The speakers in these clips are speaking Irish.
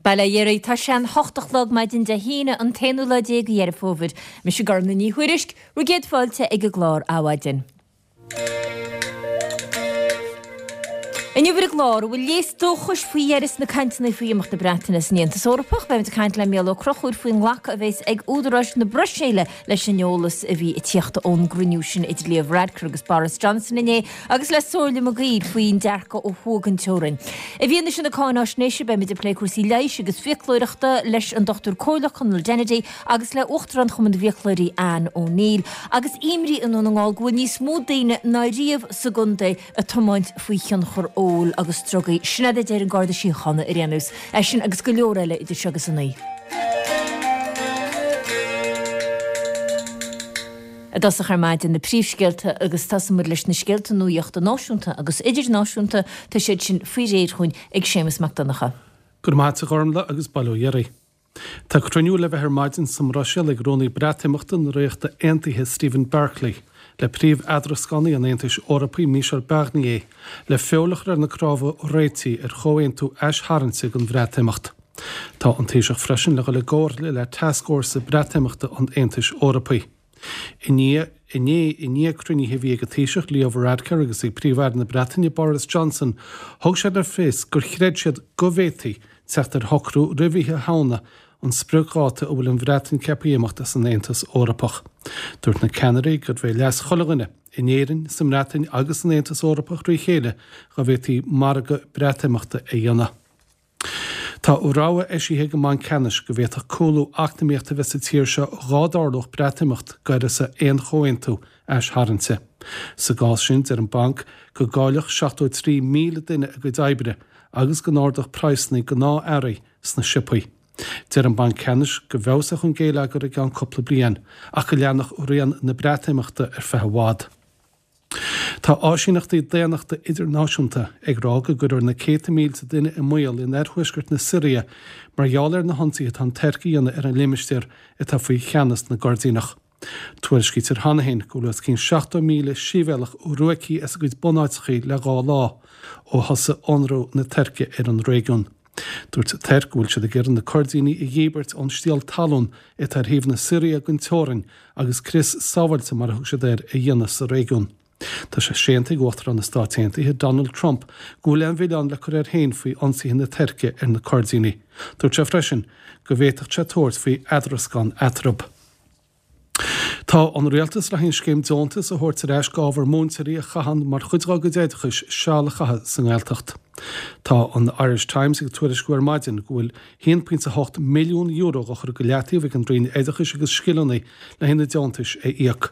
Bail ó Dhia oraibh, tá sé an hocht a chlog maidin Dé hAoine, an t-aonú lá déag de Dheireadh Fómhair. Mise Gormfhlaith Ní Thuairisg, bhur gcéad fáilte ag an gclár Adhmhaidin. Inniu ar an gclár, an bhfuil léas dóchais faoi dheireadh sna cainteanna faoi imeacht na Breataine as an Aontas Eorpach? Beimid ag caint le Mícheál Ó Conchúir faoin nglacadh a bheas ag údaráis na Bruiséile leis an eolas a bhí ag tíocht ón gcruinniú sin idir Leo Varadkar agus Boris Johnson inné agus le Somhairle Mac Guill faoin dearcadh ó thuaidh den teorainn. I bhfianaise na cáináisnéise beimid ag plé cúrsaí leighis agus fiaclóireachta leis an Dr Comhairleach Conall Dennedy agus le Uachtarán Chumann na bhFiaclóirí Anne O'Neill agus imní i nDún na nGall go bhfuil níos mó daoine ná riamh sa gcontae ag tiomáint faoi thionchar óil agus drugaí. Sin é a deir an Garda Síochána ar aon nós. É sin agus go leor eile idir seo agus a naoi. I dtosach ar maidin, na príomhscéalta agus tosóidh muid leis na scéalta nuachta náisiúnta agus idirnáisiúnta, tá siad sin faoi réir chugainn ag Séamus Mac Donncha. Go raibh maith agat a Ghormfhlaith agus bail ó Dhia oraibh. Tá cruinniú le bheith ar maidin sa mBruiséil ag Rúnaí Breatimeachta na Ríochta Aontaithe Stephen Barclay le príomh-eadrascánaí an Aontais Eorpaigh Michel Barnier le feoil a chur ar na cnámha réitigh ar chomhaontú aistharraingte don Bhreatimeacht. Tá an Taoiseach freisin le dhul i gcomhairle le Tascfhórsa Breatimeachta an Aontais Eorpaigh. Inné, i ndiaidh cruinnithe a bhí ag an Taoiseach Leo Varadkar agus ag Príomh-Aire na Breataine Boris Johnson, thug sé le fios gur chreid siad go bhféadfaí teacht ar shocrú roimh Oíche Shamhna, an spriocdháta a bhfuil an Bhreatain ceaptha imeacht as an Aontas Eorpach. Dúirt na ceannairí gurbh é leas chuile dhuine, in Éirinn, sa mBreatain agus san Aontas Eorpach trí chéile, dá bhféadfaí margadh Breatimeachta a dhéanamh. Tá rabhadh eisithe ag an mBanc Ceannais go bhféadfadh cúlú eacnamaíochta a bheith sa tír seo dhá dtarlódh Breatimeacht d'uireasa aon chomhaontú aistharraingte. Sa gcás sin, deir an Banc go gcaillfeadh 73,000 duine a gcuid oibre agus go n-ardódh praghsanna gnáth-earraí sna siopaí. Deir an Banc Ceannais go bhfeabhsódh an géilleagar i gceann cúpla bliain ach go leanfadh rian na Breatimeachta ar feadh i bhfad. Tá áisíneachtaí daonnachta idirnáisiúnta ag rá go gcuirfear na céadta mílte duine i mbaol in oirthuaisceart na Siria mar gheall ar na hionsaithe atá an Tuirc a dhéanamh ar an limistéar atá faoi cheannas na gCoirdíneach. Tuairiscítear cheana féin go bhfuil os cionn 70,000 sibhialtach ruaigthe as a gcuid bunáiteachaí le dhá lá, ó thosaigh ionradh na Tuirce ar an réigiún. Dúirt an Tuirc go bhfuil siad ag iarraidh na Coirdínigh a dhíbirt ón stiall talún atá ar thaobh na Siria den teorainn agus crios sábháilte mar a thug siad air a dhéanamh sa réigiún. Tá sé séanta ag Uachtarán na Stáit Aontaithe, Donald Trump, go bhfuil aon mhilleán le cur air féin faoi ionsaithe na Tuirce ar na Coirdínigh. Dúirt sé freisin go bhféadfadh sé tabhairt faoi eadrascán eatarthu. Tá an Rialtas le haghaidh an scéim deontas a thabhairt ar ais d'ábhar múinteoirí a chaitheann mar chuid dá gcuid oideachais seal a chaitheamh sa nGaeltacht. Tá an Irish Times ag tuairisciú ar maidin go bhfuil €1.8 milliún á chur go leataobh ag an Roinn Oideachais agus Scileanna le haghaidh na deontais a íoc.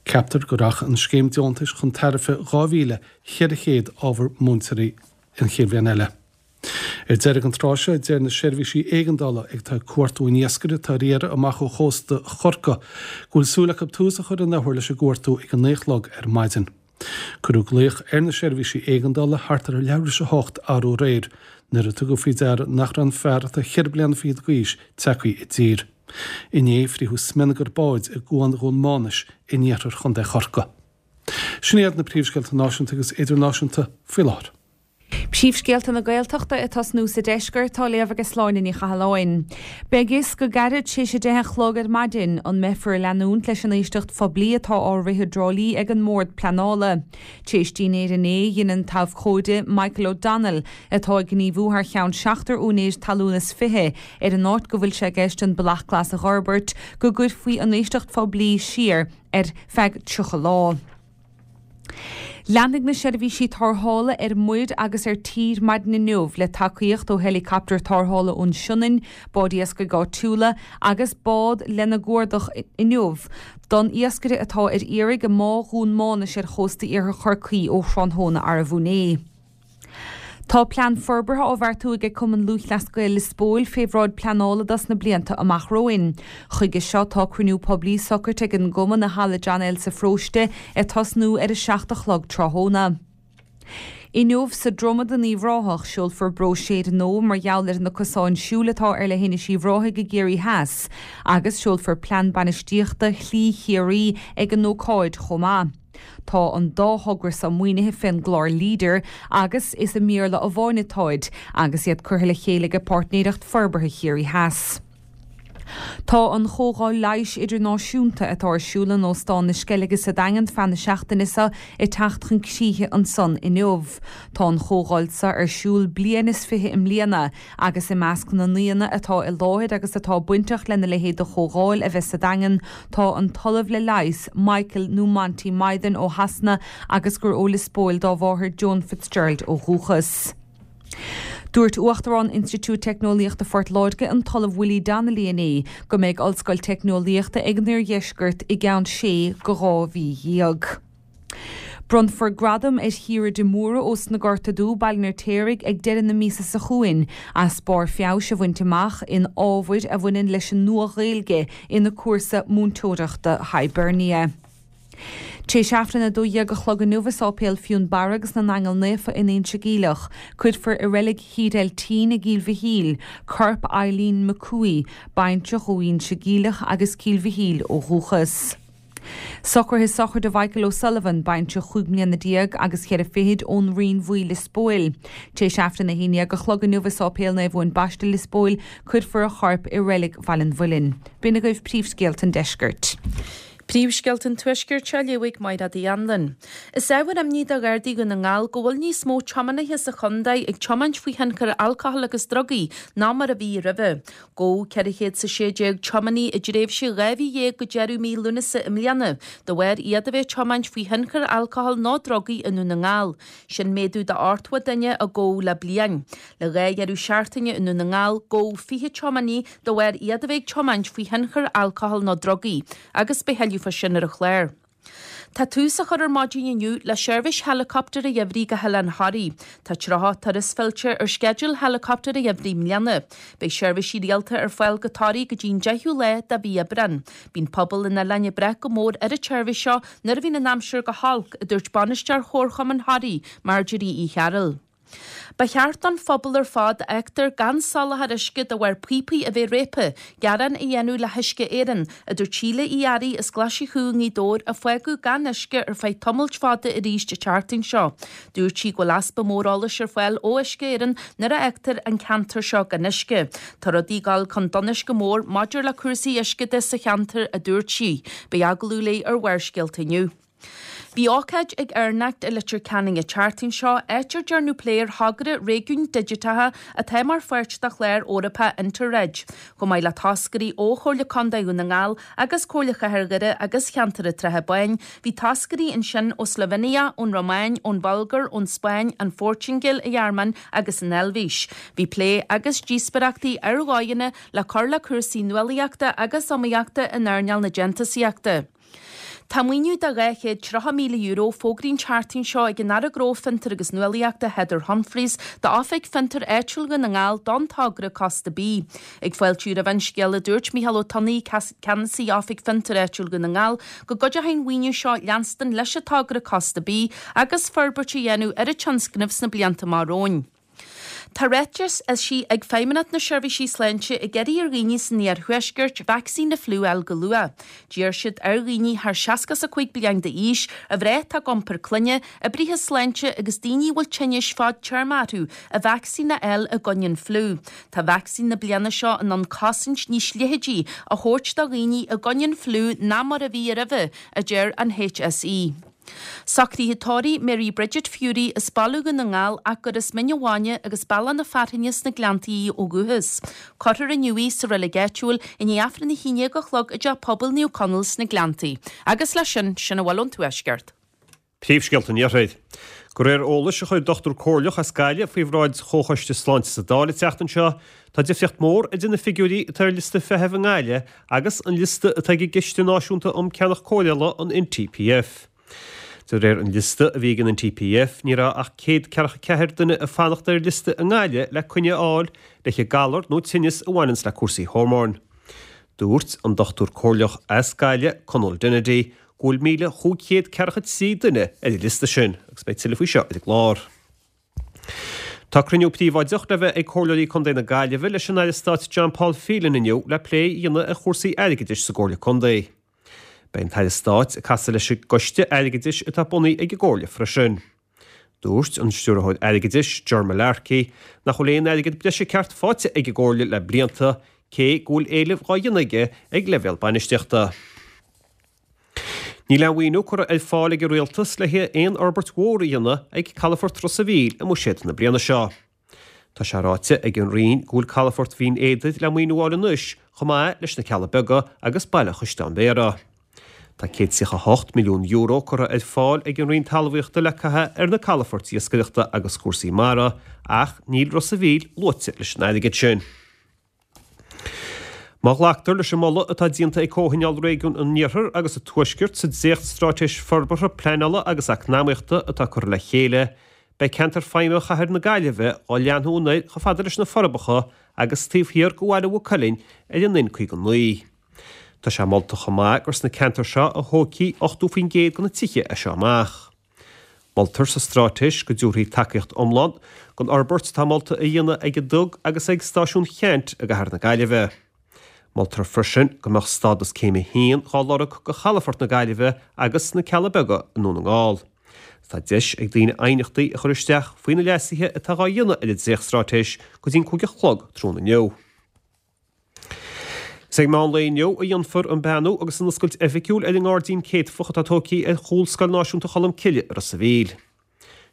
Ceaptar go rachaidh an scéim deontais chun tairbhe 2,400 ábhar múinteoirí an chéad bhliain eile. Ar deireadh an tráth seo, deir na seirbhísí éigeandála atá ag cuartú an iascaire atá ar iarraidh amach ó chósta Chorcaí go bhfuil súil acu tús a chur an athuair leis an gcuartú ag a naoi a chlog ar maidin. Cuireadh glaoch ar na seirbhísí éigeandála thart ar leathuair tar éis a hocht arú aréir nuair a tugadh faoi deara nach raibh an fear atá cheithre bliana fichead d'aois tagtha i dtír. Inné, frítheadh smionagar báid i gCuan Dhún Mánais in iarthar Chontae Chorcaí. Sin iad na príomhscéalta náisiúnta agus idirnáisiúnta faoi láthair. Príomhscéalta na Gaeltachta ag tosnú sa deisceart, á léamh ag Sláine Ní Chathalláin. Beidh fhios go gairid tar éis a deich a chlog ar maidin an mbeifear ag leanúint leis an éisteacht phoiblí atá á rith i dTrá Lí ag an mBord Pleanála. Tar éis dinnéir inné, dhein an t-abhcóide Michael O'Donnell, atá ag gníomhú thar cheann seachtar úinéir talún is fiche ar an áit go bhfuil sé i gceist an Bealach Glas a dh'fhorbairt, go gcuirfí an éisteacht phoiblí siar ar feadh 30 lá. Leanfaidh na seirbhísí tarrthála ar muir agus ar tír maidin inniu le tacaíocht ó heileacaptar tarrthála ón Sionainn, báid iascaigh áitiúla agus bád lena gcuardach inniu don iascaire atá ar iarraidh i mBá Dhún Mánais ar chósta iarthar Chorcaí ó thráthnóna arbh inné. Tá plean forbartha á bheartú ag Cumann Lúthchleas Gael Lios Póil fé bhráid pleanála dos na blianta amach romhainn. Chuige seo tá cruinniú poiblí socraite ag an gCumann i Halla John L sa Pharóiste ag tosnú ar a 7 a chlog tráthnóna. Inniu sa Dromad in Uíbh Ráthach, seolfar bróiséir nua mar gheall ar na cosáin siúil atá ar Leithinis Uíbh Ráthaigh i gCiarraí Theas agus seolfar Plean Bainistíochta Shlí Chiarraí ag an ócáid chomh maith. Tá an dá thogra seo maoinithe fén gclár Leader agus is i mBéarla amháin atáid agus iad curtha le chéile ag Páirtnéireacht Forbartha Chiarraí Theas. Tá an Chomhdháil Leighis Idirnáisiúnta atá ar siúl in Óstán na Sceilge sa Daingean feadh na seachtaine seo ag teacht chun críche ansan inniu. Tá an chomhdháil seo ar siúl bliain is 20 i mbliana agus i measc na n-aíonna atá i láthair agus atá bainteach lena leithéid de chomhdháil a bheith sa Daingean tá an tOllamh le Leigheas, Michael nó Monty Mythen ó Shasana agus gur ó Lios Póil dá mháthair Joan Fitzgerald ó dhúchas. Dúirt Uachtarán Institiúid Teicneolaíochta Phort Láirge, an tOllamh Willie Donnelly inné go mbeidh Ollscoil Teicneolaíochta ag an Oirdheisceart i gceann sé go 12 mhí. Bronnfar gradam ar Chiara de Mórdha ós na Gorta Dubh, Baile an Fheirtéaraigh, ag deireadh na míosa seo chugainn as barr feabhais a bhaint amach in ábhair a bhaineann leis an Nua-Ghaeilge ina cúrsa múinteoireachta Hibernia. Tar éis Aifreann 12 a chlog inniu i Sáipéal Fionnbarra agus na nAingeal Naofa in Inse Geimhleach, cuirfear i Reilig Thír Eiltín i gCill Mhichíl, corp Eileen McCooey, baintreach ó Inse Geimhleach agus Cill Mhichíl ó dhúchas. Socruithe sochraide Mhichael O'Sullivan, baintreach chúig mbliana déag agus cheithre fichid ón Rinn Bhuí, Lios Póil. Tar éis Aifreann 11 a chlog inniu i Sáipéal Naomh Eoin Baiste, Lios Póil, cuirfear a chorp i Reilig Bhaile an Mhuilinn. B'in agaibh príomhscéalta an deiscirt. Príomhscéalta an Tuaiscirt á léamh ag Mairéad Uí Anluain. Is ábhar imní do Ghardaí Dhún na nGall go bhfuil níos mó tiománaithe sa chontae ag tiomáint faoi thionchar alcohol agus drugaí ná mar a bhí roimhe. Gabhadh 416 tiománaí i dtréimhse 12 mhí go deireadh mí Lúnasa i mbliana de bharr iad a bheith ag tiomáint faoi thionchar alcohol nó drugaí i nDún na nGall. Sin méadú de 80 duine a gabhadh le bliain. Le dhá dheireadh seachtaine i nDún na nGall, gabhadh 20 tiománaí de bharr iad a bheith ag tiomáint faoi thionchar alcohol nó drugaí, agus beidh thuilleadh fá sin ar an chlár. Tá tús á chur ar maidin inniu le seirbhís helicopter an gheimhridh go hOileán Thoraí. Tá 30 turas fillte ar sceideal helicopter an gheimhridh i mbliana. Beidh seirbhísí rialta ar fáil go Toraigh go dtí an 10ú lá de mhí Aibreán. Bíonn pobal an oileáin ag brath go mór ar an tseirbhís seo nuair a bhíonn an aimsir go holc, a dúirt bainisteoir Chomharchumann Thoraí, Marjorie Uí Chearúil. Ba cheart don phobal ar fad a fheictear gan soláthar uisce de bharr píopaí a bheith réabtha, gearán a dhéanamh le hUisce Éireann, a dúirt Síle Uí Fhearraigh as Glaise Chú i nGaoth Dobhair a fágadh gan uisce ar feadh tamaill fada arís an tseachtain seo. Dúirt sí go bhfuil easpa mór eolais ar fáil ó Uisce Éireann nuair a fhágtar an ceantar seo gan uisce. Tá rudaí ag dul chun donais go mór maidir le cúrsaí uisce de sa cheantar, a dúirt sí. Beidh agallamh léi ar Bharrscéalta inniu. Bhí ócáid ag EirNECT i Leitir Ceanainn an tseachtain seo, áit ar dearnadh plé ar thogra réigiúin digiteacha atá mar pháirt de chlár Eorpach Interreg. Chomh maith le toscairí ó Chomhairle Contae Dhún na nGall agus Comhairle Chathair Dhoire agus Cheantar an tSratha Báin, bhí toscairí ansin ó Slovenia, ón Rómáin, ón Bhulgáir, ón Spáinn, an Phortaingéil, an Ghearmáin agus an Eilvéis. Bhí plé agus díospóireachtaí ar dhóigheanna le cur le cúrsaí nuálaíochta agus iomaíochta in earnáil na déantúsaíochta. Tá maoiniú de €230,000 fógraithe an tseachtain seo ag an Aire Gnó, Fiontar agus Nuálaíochta Heather Humphreys d'Oifig Fiontar Áitiúil Dhún na nGall don togra Cósta Bídh. Ag fáiltiú roimh an scéala dúirt Micheál Ó Tonnaigh, Ceannasaí Oifig Fiontar Áitiúil Dhún na nGall, go gcuideoidh an mhaoiniú seo leanstan leis an togra Cósta Bídh agus forbairt a dhéanamh ar an tionscnamh sna blianta amach romhainn. Tá ráiteas eisithe ag Feidhmeannacht na Seirbhísí Sláinte ag iarraidh ar dhaoine san iarthuaisceart vacsaín na fliú a fháil go luath. D'iarr siad ar dhaoine thar 65 bliain d'aois, ar mhná atá ag iompar clainne, oibrithe sláinte agus daoine a bhfuil tinnis fadtéarma orthu, a vacsaín a fháil i gcoinne an fliú. Tá vacsaín na bliana seo in ann cosaint níos leitheadaí a thabhairt do dhaoine i gcoinne an fliú ná mar a bhí roimhe, a deir an HSE. Socruithe tórraimh Mary Bridget Furey as Baile Dhún na nGall ach gur as Mín an Bhainne agus Bealach na Fearthainne sna Gleanntaí í ó dhúchas. Cuirfear inniu í sa reilig áitiúil i ndiaidh Aifreann 11 a chlog i dTeach Pobail Naomh Conaill sna Gleanntaí. Agus leis sin, sin a bhfuil ón Tuaisceart. Príomhscéalta an Iarthair. De réir eolais a chuir dochtúir comhairleach as Gaillimh faoi bhráid Chomhchoiste Sláinte sa Dáil an tseachtain seo, tá difríocht mhór idir na figiúirí atá ar liosta feithimh i nGaillimh agus an liosta atá ag an gCiste Náisiúnta um Ceannach Cóireála, an NTPF. De réir an liosta a bhí ag an NTPF, ní raibh ach 144 duine ag fanacht ar liosta i nGaillimh le coinne a fháil le haghaidh galar nó tinneas a bhaineanns le cúrsaí hormóin. Dúirt an dochtúir comhairleach as Gaillimh, Conall Dennedy, go bhfuil 1,543 duine ar an liosta sin agus beidh tuilleadh faoi seo ar an gclár. Tá cruinniú príobháideach le bheith ag Comhairleoirí Contae na Gaillimhe leis an Aire Stáit John Paul Phelan inniu le plé a dhéanamh ar chúrsaí airgeadais sa gComhairle Contae. Beidh an tAire Stáit ag casadh leis an gCoiste Airgeadais atá bunaithe ag an gComhairle freisin. Dúirt an Stiúrthóir Airgeadais, Ger Mullarkey, nach bhfuil aon airgead breise ceart faighte ag an gComhairle le blianta, cé go bhfuil éilimh dhá dhéanamh aige ag leibhéal bainistíochta. Níl aon mhaoiniú curtha ar fáil ag an Rialtas le haghaidh aon fhorbairt mhór a dhéanamh ag calafort Ros a' Mhíl i mbuiséad na bliana seo. Tá sé ráite ag an Roinn go bhfuil calafort Bhinn Éadair le maoiniú a fháil anois chomh maith leis na Cealla Beaga agus Baile Chaisleáin Bhéarra. Tá €138 milliún curtha ar fáil ag an Roinn Talmhaíochta le caitheamh ar na calafoirt iascaireachta agus cúrsaí mara ach níl Ros a' Mhíl luaite leis an airgead sin. Má ghlactar leis an moladh atá déanta ag Comhthionól Réigiún an Iarthair agus an Tuaiscirt sa dréacht-Straitéis Forbartha, Pleanála agus Eacnamaíochta atá curtha le chéile, beidh ceantar feidhme Chathair na Gaillimhe dhá leathnú anoir chomh fada leis na Forbacha agus taobh thiar de Bhaile Mhaigh Cuilinn ar an N59. Tá sé molta chomh maith gur sna ceantair seo a thógfaí 80% de na tithe as seo amach. Moltar sa straitéis go dtabharfaí tacaíocht iomlán don fhorbairt atá molta a dhéanamh ag an Dug agus ag Stáisiún Cheannt i gcathair na Gaillimhe. Moltar freisin go mbeadh stádas Céim 1 dhá lorg do chalafort na Gaillimhe agus na Cealla Beaga i nDún na nGall. Tá deis ag daoine aighneachtaí a chur isteach faoi na leasuithe atá dhá dhéanamh ar an dréachtstraitéis go dtí an 5 a chlog tráthnóna inniu. Is ag meán lae inniu a dhéanfar an beannú agus an oscailt oifigiúil ar an ngairdín céadfach atá tógtha ar chúl Scoil Náisiúnta Cholmcille i Ros a' Mhíl.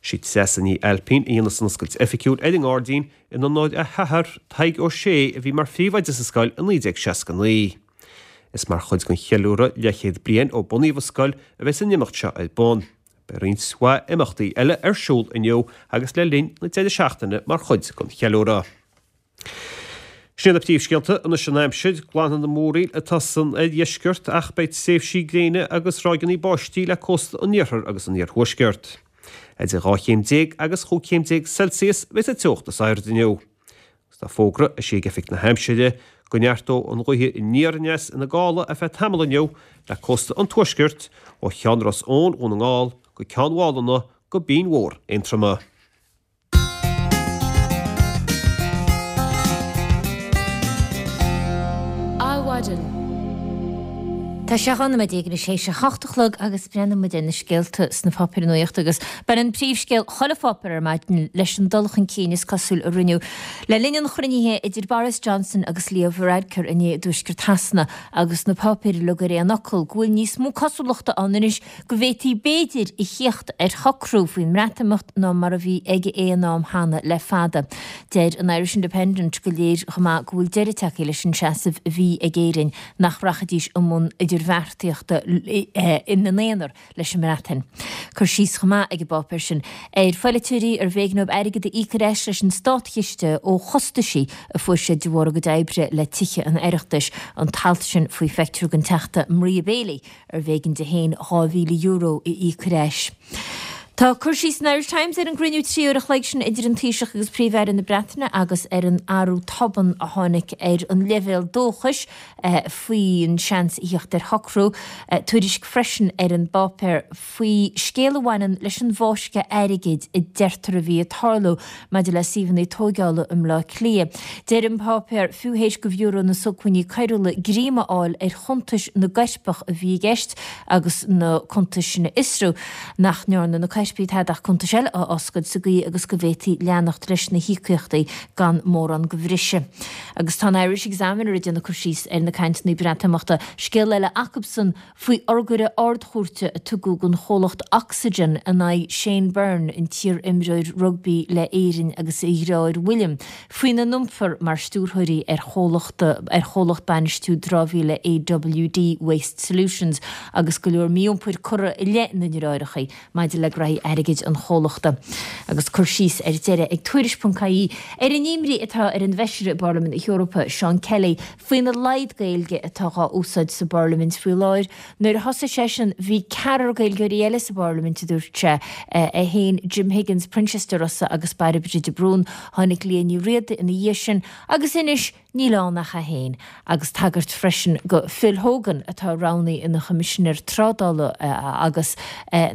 Sí Treasa Ní Ailpín a dhéanfas an oscailt oifigiúil ar an ngairdín in onóir a hathar, Tadhg Ó Sé, a bhí mar phríomhoide sa scoil i 1969. Is mar chuid den cheiliúradh leathchéad bliain ó bunaíodh an scoil a bheas an imeacht seo ar bun. Beidh roinnt mhaith imeachtaí eile ar siúl inniu agus le linn na deireadh seachtaine mar chuid den cheiliúradh. Sin iad na príomhscéalta anois an aimsir. Glanfaidh an mhúraíl atá san oirdheisceart ach beidh tréimhsí gréine agus ráigeanna báistí le cósta an iarthair agus an iarthuaiscirt. Idir 12 chéim agus 15 chéim Celsius a bheidh sa teocht is airde inniu. Agus tá fógra eisithe ag Oifig na hAimsire go neartóidh an ghaoth aniar aneas ina gála ar feadh tamaill inniu le cósta an tuaiscirt ó Cheann Ros Eoin Dhún na nGall go Ceann Mhálanna go Binn Mhór Aontroma. Adhmhaidin. Tá sé 12 nóiméad anois théis a hocht a chlog agus breathnóidh muid ar na scéalta sna páipéir nuachta agus baineann príomhscéal chuile pháipéar ar maidin leis an dul chun cinn is cosúil a rinneadh le linn an chruinnithe idir Boris Johnson agus Leo Varadkar inné i dtuaisceart Shasana agus na páipéir uilig ar aon fhocal go bhfuil níos mó cosúlachta ann anois go bhféadfaí b'fhéidir a thíocht ar shocrú faoin mBreatimeacht ná mar a bhí ag aon am cheana le fada. Deir an Irish Independent go léir chomh maith go bhfuil deireadh tagtha leis an seasamh a bhí ag Éirinn nach rachaidís i mbun idirbheartaíochta ina n-aonar leis an mBreatain. Cur síos chomh maith ag an bpáipéar sin ar pholaiteoirí arbh éigean dóibh airgead a íoc ar ais leis an státchiste ó chostaisí a fuair siad de bharr a gcuid oibre le Tithe an Oireachtais, an t-alt sin faoi phictiúr den Teachta Maria Bailey arbh éigean di féin €2,000 a íoc ar ais. Tá cur síos san Irish Times ar an gcruinniú 3 uair a chloig sin idir an Taoiseach agus Príomh-Aire na Breataine agus ar an athrú tobann a tháinig ar an leibhéal dóchais faoin seans a thíocht ar shocrú. Tuairisc freisin ar an bpáipéar faoi scéal a bhaineann leis an bhfáisceadh airgid a deirtear a bhí ag tarlú maidir le suíomhanna tóigeála i mBleá Cliath. Deir an páipéar, fiú théis do Bhiúró na Sócmhainní Coiriúla greim a fháil ar chuntais na gcoirpeach a bhí i gceist agus na cuntais sin a fhiosrú, nach ndearna na coirpigh tada ach cuntais eile a oscailt sa gcaoi agus go bhféadfaí leanacht leis na híocaíochtaí gan mórán de bhriseadh. Agus tá an Irish Examiner ag déanamh cur síos ar na cainteanna Breatimeachta, scéal eile acubsan faoi urghaire Ard-Chúirte a tugadh don chomhlacht Oxygen in aghaidh Shane Byrne, an t-iar-imreoir rugbaí le Éirinn agus a dhreáir William, faoina n-iompar mar stiúrthóirí ar chomhlacht ar chomhlacht bainistiú dramhaíola AWD Waste Solutions agus go leor mí-iompair curtha i leith na ndreáireacha maidir le graithí airgid an chomhlachta. Agus cur síos ar deireadh ag Tuairisc.ie ar an imní atá ar an bhFeisire i bParlaimint na hEorpa, Seán Kelly, faoina laghad Gaeilge atá dhá úsáid sa bParlaimint faoi láthair. Nuair a thosaigh seisean, bhí ceathrar Gaeilgeoirí eile sa bParlaimint, a dúirt sé, é féin, Jim Higgins, Proinsias De Rossa agus Bairbre de Brún. Tháinig Liadh Ní Riada ina dhiaidh sin agus anois. Níl ann ach é féin, agus tagairt freisin go Phil Hogan atá roghnaithe ina Choimisinéir Trádála agus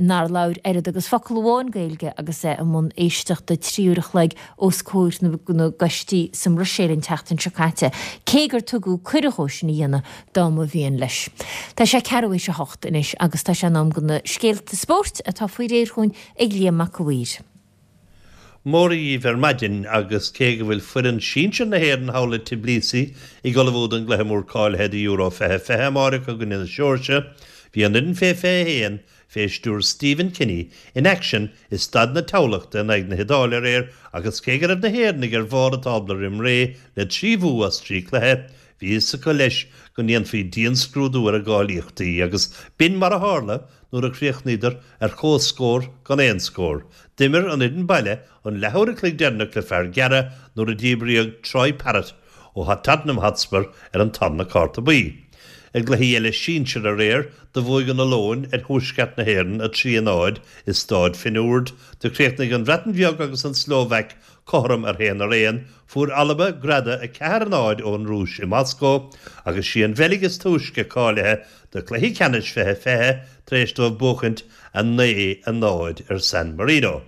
nár labhair oiread agus focal amháin Gaeilge agus é i mbun éisteachta 3 uair a chloig os comhair na gcoistí sa mBruiséil an tseachtain seo caite, cé gur tugadh cuireadh dhó sin a dhéanamh dá mba mhian leis. Tá sé ceathrú théis a hocht anois agus tá sé in am do na scéalta spóirt atá faoi réir chugainn ag Liam Mac a' Mhaoir. Mora dhíbh ar maidin agus cé go bhfuil foireann sinsir na hÉireann thall i Tbilisi ag ullmhú don gcluiche mór cáilithe do Euro 2020 amáireach i gcoinne na Seoirsia, bhí an fhoireann fé 21 fé stiúir Stephen Kenny in aicsean i Staid na Thamhlachta in aghaidh na hIodáile aréir agus cé go raibh na hÉireannaigh ar bharr an tábla roim ré le 3 bhua as 3 cluiche, bhí fhios acu leis go ndéanfaí dianscrúdú ar a gcáilíochtaí agus b'in mar a tharla nuair a chríochnaíodar ar comhscór gan aon scór. D'imir an fhoireann baile an leathuair a chloig deireanach le fear gearrtha nuair a díbríodh Troy Parrott ó Tottenham Hotspur ar an tarna cárta buí. I gcluichí eile sinsir aréir, do bhuaigh an Ollóin ar Thuaisceart na hÉireann 3-0 i Stáid Finn Ord, do chríochnaigh an Bhreatain Bheag agus an tSlóvaic cothrom ar 1-1, fuair Alba greadadh 4-0 ón Rúis i Moscó agus sí an Bheilg is túisce cáilithe do chluichí ceannais 2020 tar éis dóibh buachaint 9-0 ar San Marino.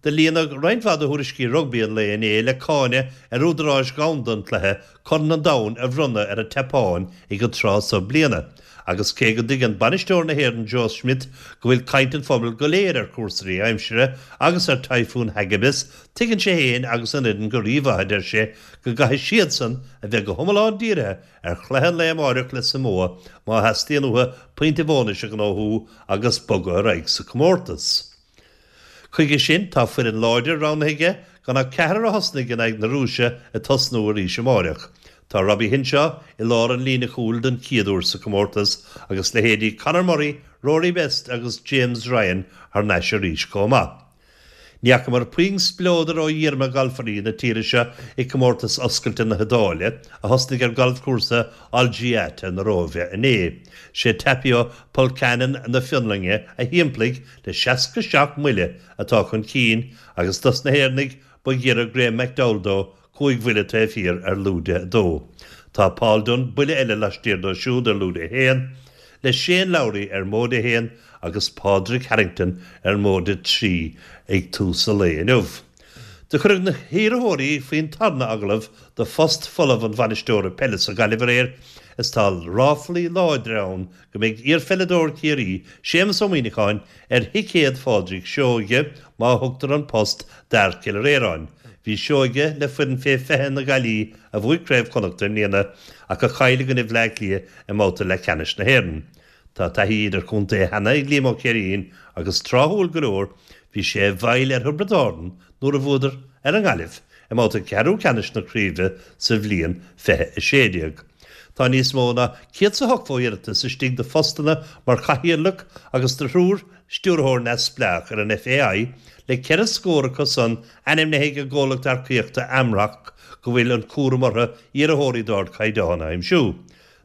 Do líonadh roinnt mhaith de thuairiscí rugbaí an lae inné le cáineadh ar údaráis dhomhanda an chluiche Corn an Domhain a bhronnadh ar an tSeapáin ag an tráth so bliana agus cé go dtuigeann bainisteoir na hÉireann Joe Schmidt go bhfuil caint an phobail go léir ar chúrsaí aimsire agus ar Typhoon Hagibis, tuigeann sé féin agus an fhoireann go rímhaith, a deir sé, go gcaithfidh siadsan a bheith go hiomlán dírithe ar chluiche an lae amáireach le Samoa má theastaíonn uathu pointe bhónais a ghnóthú agus bogadh ar aghaidh sa chomórtas. Chuige sin, tá foireann láidir roghnaithe aige, gan ach ceathrar a thosnaigh in aghaidh na Rúise ag tosnú arís amáireach. Tá Robbie Henshaw i lár an líne chúil don chéad uair sa chomórtas agus leithéidí Conor Murray, Rory Best agus James Ryan thar n-ais arís chomh maith. Ní fhacamar puinn spleodair ó dhíorma galfairí na tíre seo i gComórtas Oscailte na hIodáile, a thosnaigh ar ghalfchúrsa Olgiata na Róimhe inné. Sé Tapio Pulkkanen na Fionlainne a shiamplaigh le 67 mbuille atá chun cinn agus dos na hÉireannaigh ba ghiorra Graham McDowell dó 5 bhuille taobh thiar ar lúide 2. Tá Paul Dunne buille eile laistiar dó siúd ar lúide 1, le Shane Lowry ar móide 1 agus Pádraig Harrington ar móide 3 ag tús an lae inniu. Do cuireadh na hiarrthóirí faoin tarna agallamh do phost folamh an bhainisteora peile sa Ghaillimh aréir is tá ráflaí láidre ann go mbeidh iarpheileadóir Chiarraí, Séamus Ó Muíneacháin, ar thicéad Phádraig Seoighe má thugtar an post d'fhear Chill Réaráin. Bhí Seoighe le foireann fé 20 na Gaillí a bhuaigh Craobh Chonnachta i mbliana ach a chaill i gcoinne Bhleá Cliath i mbabhta leathcheannais na hÉireann. Tá taithí idirchontae cheana ag Liam Ó Céirín agus tráthúil go leor bhí sé i bhfeighil ar Thiobraid Árann nuair a bhuadar ar an nGaillimh i mbabhta ceathrú ceannais na craoibhe sa bhliain 2016. Tá níos mó ná 180 iarratas istigh do phostanna mar chathaoirleach agus do thriúr stiúrthóir neamhspleách ar an FAI, le ceithre scór acu san ainmnithe ag an gcomhlacht earcaíochta Amrock go bhfuil an cúram orthu iarrthóirí d'ardchaighdeán a aimsiú.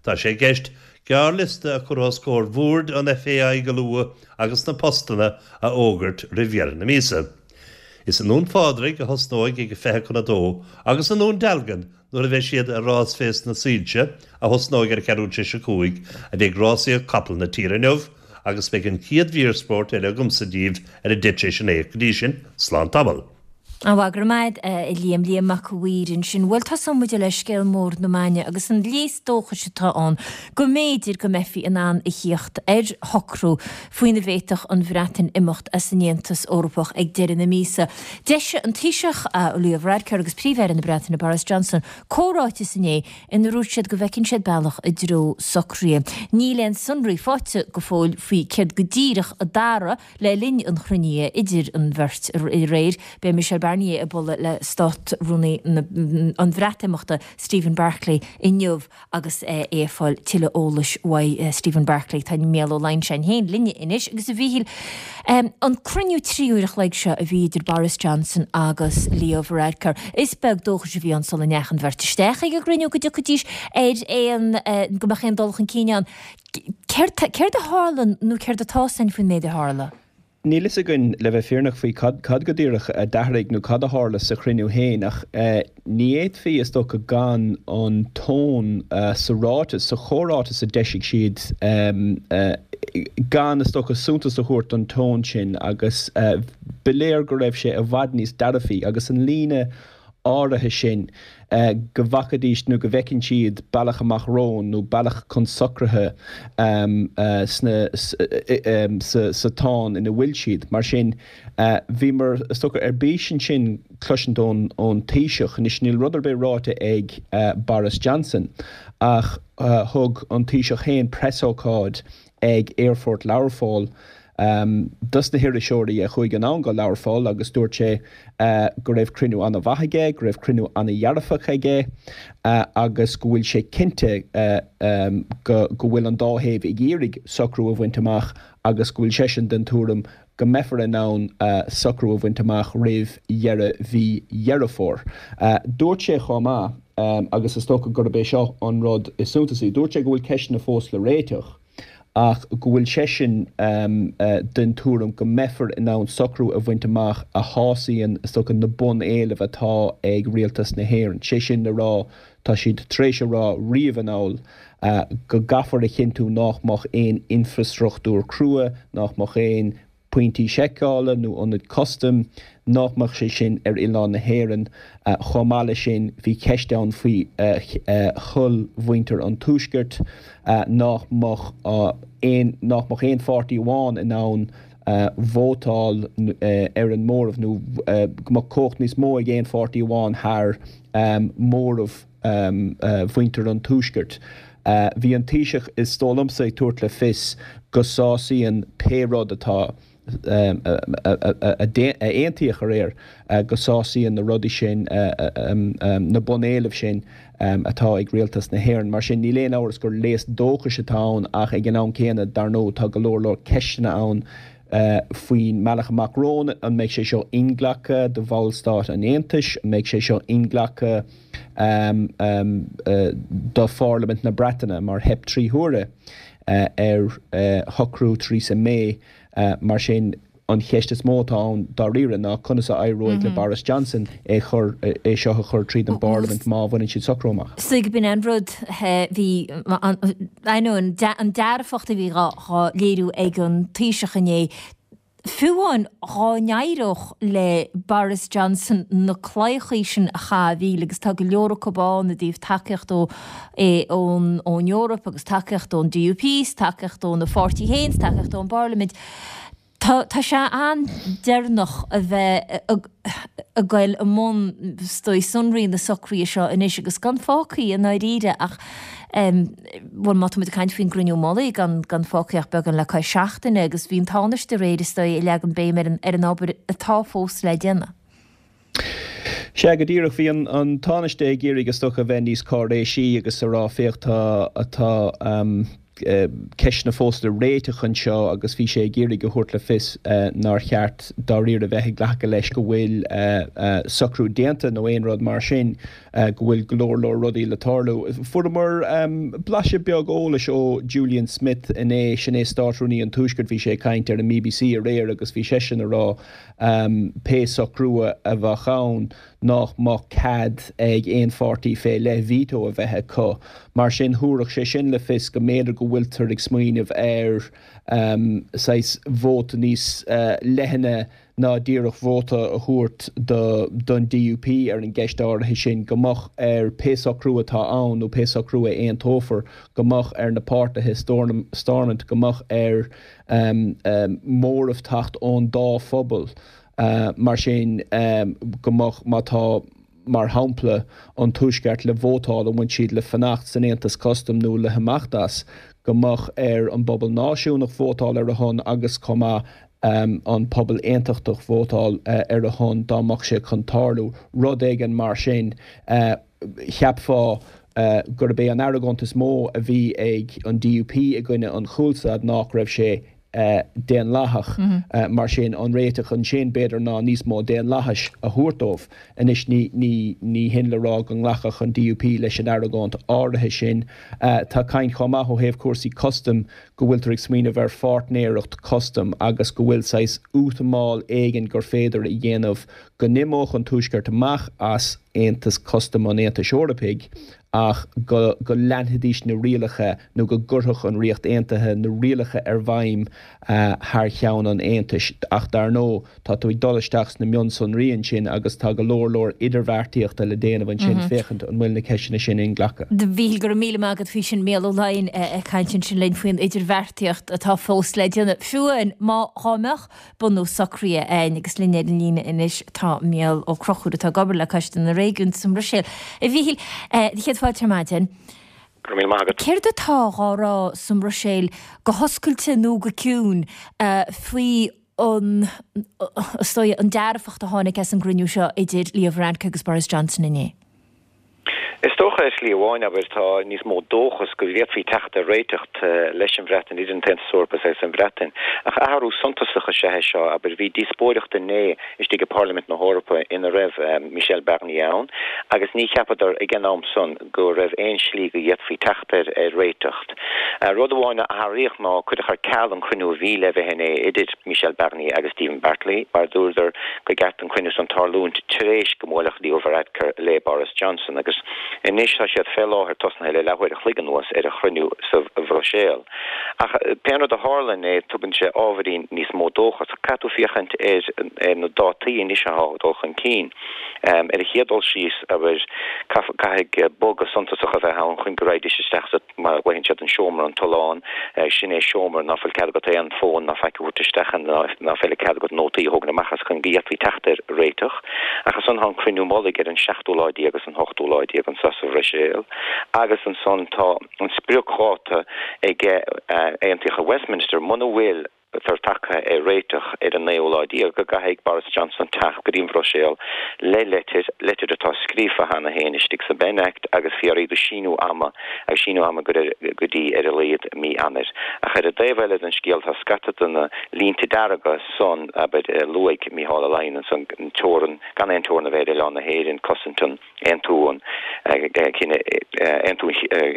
Tá sé i gceist gearrliosta a chur os comhair bhoird an FAI go luath agus na postanna a fhógairt roimh dheireadh na míosa. Is i nDún Phádraig a thosnóidh ag a 1:40 agus i nDún Dealgan nuair a bheidh siad ar rás Féasta na Soilse, a thosnóidh ar a 5:45, a bheidh rásaíocht capall na tíre inniu agus beidh an chéad mhír spóirt eile agamsa daoibh ar a 9:10. Go dtí sin, slán tamall. Á go raibh maith agat a Liam, Liam Mac a' Mhaoir ansin. Bhuel, tosóidh muid le scéal mór na maidine agus an léas dóchais atá ann go mb'fhéidir go mbeifí in ann a thíocht ar shocrú faoina bhféadfadh an Bhreatain imeacht as an Aontas Eorpach ag deireadh na míosa. D'eisigh an Taoiseach, Leo Varadkar agus Príomh-Aire na Breataine Boris Johnson comhráiteas inné ina ndúirt siad go bhfeiceann siad bealach i dtreo socraithe. Níl aon sonraí faighte go fóill faoi céard go díreach a dúradh Le linn an chruinnithe idir an bheirt aréir, beidh Michel Barnier ag bualadh le Stát-Rúnaí an Bhreatimeachta, Stephen Barclay, inniu agus é ag fáil tuilleadh eolais uaidh Stephen Barclay. Tá Mícheál Ó Loingseáin féin linne anois agus a Mhíchíl, an cruinniú 3 uair a chloig seo a bhí idir Boris Johnson agus Leo Varadkar, is beag dóchais a bhí ann sula ndeachaigh an bheirt isteach ag an gcruinniú go dtiocfaidís ar aon, go mbeadh aon dul chun cinn ann. Céard a tharla nó céard atá againn faoin méid a tharla? Níl fhios againn, le bheith fírinneach, faoi cad cad go díreach a d'athraigh nó cad a tharla sa chruinniú féin ach ní fhéadfaí, is dócha, gan an tón sa ráiteas, sa chomhráiteas a d'eisigh siad, gan, is dócha, suntas a thabhairt don tón sin agus ba léir go raibh sé i bhfad níos dearfaí agus an líne áirithe sin go bhfacaidís nó go bhfeiceann siad bealach amach romhainn nó bealach chun socraithe sna sa tsáinn ina bhfuil siad. Mar sin, bhíomar, is dócha, ar bís ansin cloisint ón ón Taoiseach. Anois, níl rud ar bith ráite ag Boris Johnson ach thug an Taoiseach féin preasócáid ag Aerfort Learpholl dos na hiriseoirí a chuaigh anonn go Learpholl agus dúirt sé go raibh cruinniú an-mhaith aige, go raibh cruinniú an-dhearfach aige agus go bhfuil sé cinnte go go bhfuil an dá thaobh ag iarraidh socrú a bhaint amach agus go bhfuil seisean den tuairim go mbeifear in ann socrú a bhaint amach roimh dheireadh mhí Dheireadh Fómhair. Dúirt sé chomh maith, agus is dócha gurb é seo an rud is suntasaí, dúirt sé go bhfuil ceisteanna fós le réiteach ach go bhfuil seisean den tuairim go mbeifear in ann socrú a bhaint amach a shásaíonn, is dócha, na bun-éilimh atá ag Rialtas na hÉireann. Sé sin le rá, tá siad tar éis a rá riamh anall go gcaithfear a chinntiú nách mbeadh aon infreastruchtúr crua, nách mbeadh aon pointí seiceála nó ionaid custaim, nách mbeadh sé sin ar oileán na hÉireann. Chomh maith leis sin, bhí ceist ann faoi thoil mhuintir an Tuaiscirt, nách mbeadh aon, nách mbeadh aon pháirtí amháin in ann vótáil ar an móramh nó go mbeadh cumhacht níos mó ag aon pháirtí amháin thar móramh. mhuintir an Tuaiscirt. Bhí an Taoiseach, is dóigh liomsa, ag tabhairt le fios go sásaíonn pé rud atá a aontaíodh aréir, go sásaíonn na rudaí sin, na bunéilimh sin atá ag Rialtas na hÉireann. Mar sin, níl aon amhras gur léas dóchais atá ann ach ag an am céanna, dar ndóigh, tá go leor leor ceisteanna ann faoin mbealach amach romhainn, an mbeidh sé seo inghlactha do bhallstáit an Aontais, an mbeidh sé seo inghlactha do Pharlaimint na Breataine, mar theip 3 huaire ar shocrú Theresa May. Mar sin, an cheist is mó atá ann dáiríre ná conas a éireoidh le Boris Johnson é chur, é seo a chur tríd an bParlaimint má bhaineann siad socrú amach. Is dóigh b'in an rud, bhí, ainneoin an dearfacht a bhí dhá léiriú ag an Taoiseach inné, fiú amháin dhá n-éireodh le Boris Johnson na claíochaí sin a chaitheamh agus tá go leor acu ann i dtaobh tacaíocht ó ón Eoraip agus tacaíocht ón DUP 's tacaíocht óna pháirtí féin 's tacaíocht ón bParlaimint. Tá, tá sé an-deireanach a bheith ag goil i mbun, is dóigh, sonraí na socruithe seo anois agus gan fágtha i ndáiríre ach, bhuel, má tá muid ag caint faoin gcruinniú mullaigh, gan, gan fágtha ach beagán le cois seachtaine agus bhí an Tánaiste aréir, is dóigh, ag leagan béim ar an, ar an obair atá fós le déanamh. Sea, go díreach. Bhí an Tánaiste ag iarraidh, is dócha, a bheith níos cáiréisí agus a rá, féach, tá, tá ceisteanna fós le réiteach anseo agus bhí sé ag iarraidh a thabhairt le fios nár cheart dáiríre a bheith ag glacadh leis go bhfuil socrú déanta nó aon rud mar sin, go bhfuil go leor leor rudaí le tarlú. Fuaireamar blaiseadh beag eolais ó Julian Smith inné, sin é Státrúnaí an Tuaiscirt, bhí sé ag caint ar an mBBC aréir agus bhí seisean a rá pé socrú a bheadh ann, nách mbeadh cead ag aon pháirtí fé leith veto a bheith acu. Mar sin, thabharfadh sé sin le fios go mb'fhéidir go bhfuiltear ag smaoineamh ar saghas vóta níos leithne ná díreach vóta a thabhairt don DUP ar an gceist áirithe sin, go mbeadh ar pé socrú atá ann nó pé socrú a aontófar, go mbeadh ar na páirtithe Stormont, go mbeadh ar móramh teacht ón dá phobal. Mar sin, go mbeadh, má tá, mar shampla, an Tuaisceart le vótáil an bhfuil siad le fanacht san Aontas Custaim nó le himeacht as, go mbeadh ar an bpobal náisiúnach vótáil ar a shon agus chomh maith an pobal aontachtach vótáil ar a shon dá mbeadh sé chun tarlú. Rud éigin mar sin. Cheapfá gurb é an argóint is mó a bhí ag an DUP i gcoinne an chúlstad nách raibh sé. daonlathach. Mar sin, an réiteach ansin, b'fhéidir, ná níos mó daonlathais a thabhairt dóibh. Anois, ní hin le rá go nglacfadh an DUP leis an argóint áirithe sin. Tá caint chomh maith ó thaobh cúrsaí custaim go bhfuiltear ag smaoineamh ar pháirtnéireacht custaim agus go bhfuil saghas útamáil éigin gur féidir a dhéanamh go n-imeodh an Tuaisceart amach as Aontas Custaim an Aontais Eorpaigh ach go go leanfaidís na rialacha nó go gcuirfeadh an Ríocht Aontaithe na rialacha ar bhfeidhm thar cheann an Aontais. Ach dar ndóigh, tá tú ag dul isteach sna mionsonraí ansin agus tá go leor leor idirbheartaíochta le déanamh ansin féachaint an bhfuil na ceisteanna sin inghlactha. A Mhíchíl, go raibh míle maith agat faoi sin. Mícheál Ó Laighin ag caint ansin linn faoin idirbheartaíocht atá fós le déanamh. Fiú amháin má dhá mbeadh bunú socraithe ann agus linn ar an líne anois tá Mícheál Ó Conchúir atá ag obair le Coiste na Réigiún sa mBruiséil. A Mhíchíl, do chéad fáilte ar maidin. Go raibh míle maith agat. Céard atá dhá rá sa mBruiséil go hoscailte nó go ciúin faoi an, is dóigh, an dearfacht a tháinig as an gcruinniú seo idir Leo Varadkar agus Boris Johnson inné? Is dócha, ar shlí amháin, abair, tá níos mó dóchas go bhféadfaí teacht ar réiteach leis an Bhreatain, idir an tAontas Eorpach agus an Bhreatain. Ach athrú suntasach is ea é seo, abair. Bhí díospóireacht inné istigh i bParlaimint na hEorpa ina raibh Michel Barnier ann agus ní cheapadar ag an am san go raibh aon slí go bhféadfaí teacht ar réiteach. Rud amháin a athraíodh ná cuireadh ar ceal an cruinniú a bhí le bheith inné idir Michel Barnier agus Stephen Barclay mar dúradar gur cheart an cruinniú san tarlúint tar éis go mbuailfeadh Leo Varadkar le Boris Johnson agus anois tá siad fé láthair tosnaithe le leathuair a chloig anuas ar an chruinniú sa Bhruiséil. Ach pén rud a tharla inné tugann sé ábhairín níos mó dóchas. Caithfidh tú féachaint ar na dátaí anois atá ag dul chun cinn. Ar an chéad dul síos, abair, caithfidh bogadh suntasach a bheith ann chun go raghaidís isteach sa. mar a ghlaonn siad an seomra an tollán, sin é seomra ná fuil cead agat aon fón ná faic a thabhairt isteach ann, ná fuil cead agat nótaí a thógaint amach as chun go bhféadfaí teacht ar réiteach. Ach ansan tá an cruinniú mullaigh ar an seachtú lá déag agus an hochtú lá déag anso sa Bhruiséil agus ansan tá an spriocdháta ag aontaíodh i Westminster muna bhfuil tar tagtha ar réiteach ar an naoú lá déag go gcaithfidh Boris Johnson teacht go dtí an Bhruiséil le leitir, leitir atá scríofa cheana féin istigh sa Benn Act agus fiafraí de síniú ama agus síniú ama go dtí ar a laghad mí Eanáir. Ach ar an dtaobh eile den scéal tá scata de na línte dearga san, abair, a luaigh Mícheál Ó Laighin ansan, an teorann, gan aon teorann a bheith ar oileán na hÉireann, cosaint an. Aontú an Aoine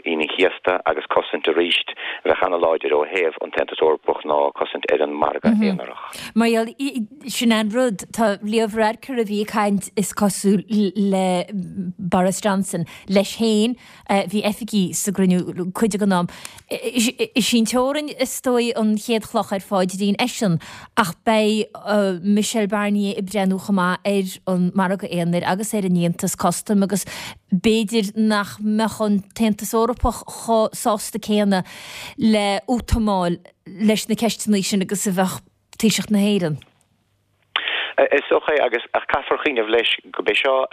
an Chéasta agus cosaint arís a bheadh ana-láidir ó thaobh an tAontas Eorpach ná cosaint ar an margadh aonarach. Mar gheall, sin an rud, tá Leo Varadkar a bhí ag caint is cosúil le Boris Johnson leis féin, Bhí oifigigh sa gcruinniú cuid den am. Is í an teorainn is dóigh an chéad chloch ar phaidrín eisean ach beidh Michel Barnier ag breathnú chomh maith ar an margadh aonair agus ar an Aontas Custaim agus b'fhéidir nach mbeadh an tAontas Eorpach chomh sásta céanna le útamáil leis na ceisteanna sin agus a bheadh Taoiseach na hÉireann. Is dócha é, agus ach caithfear cuimhneamh leis go b'é seo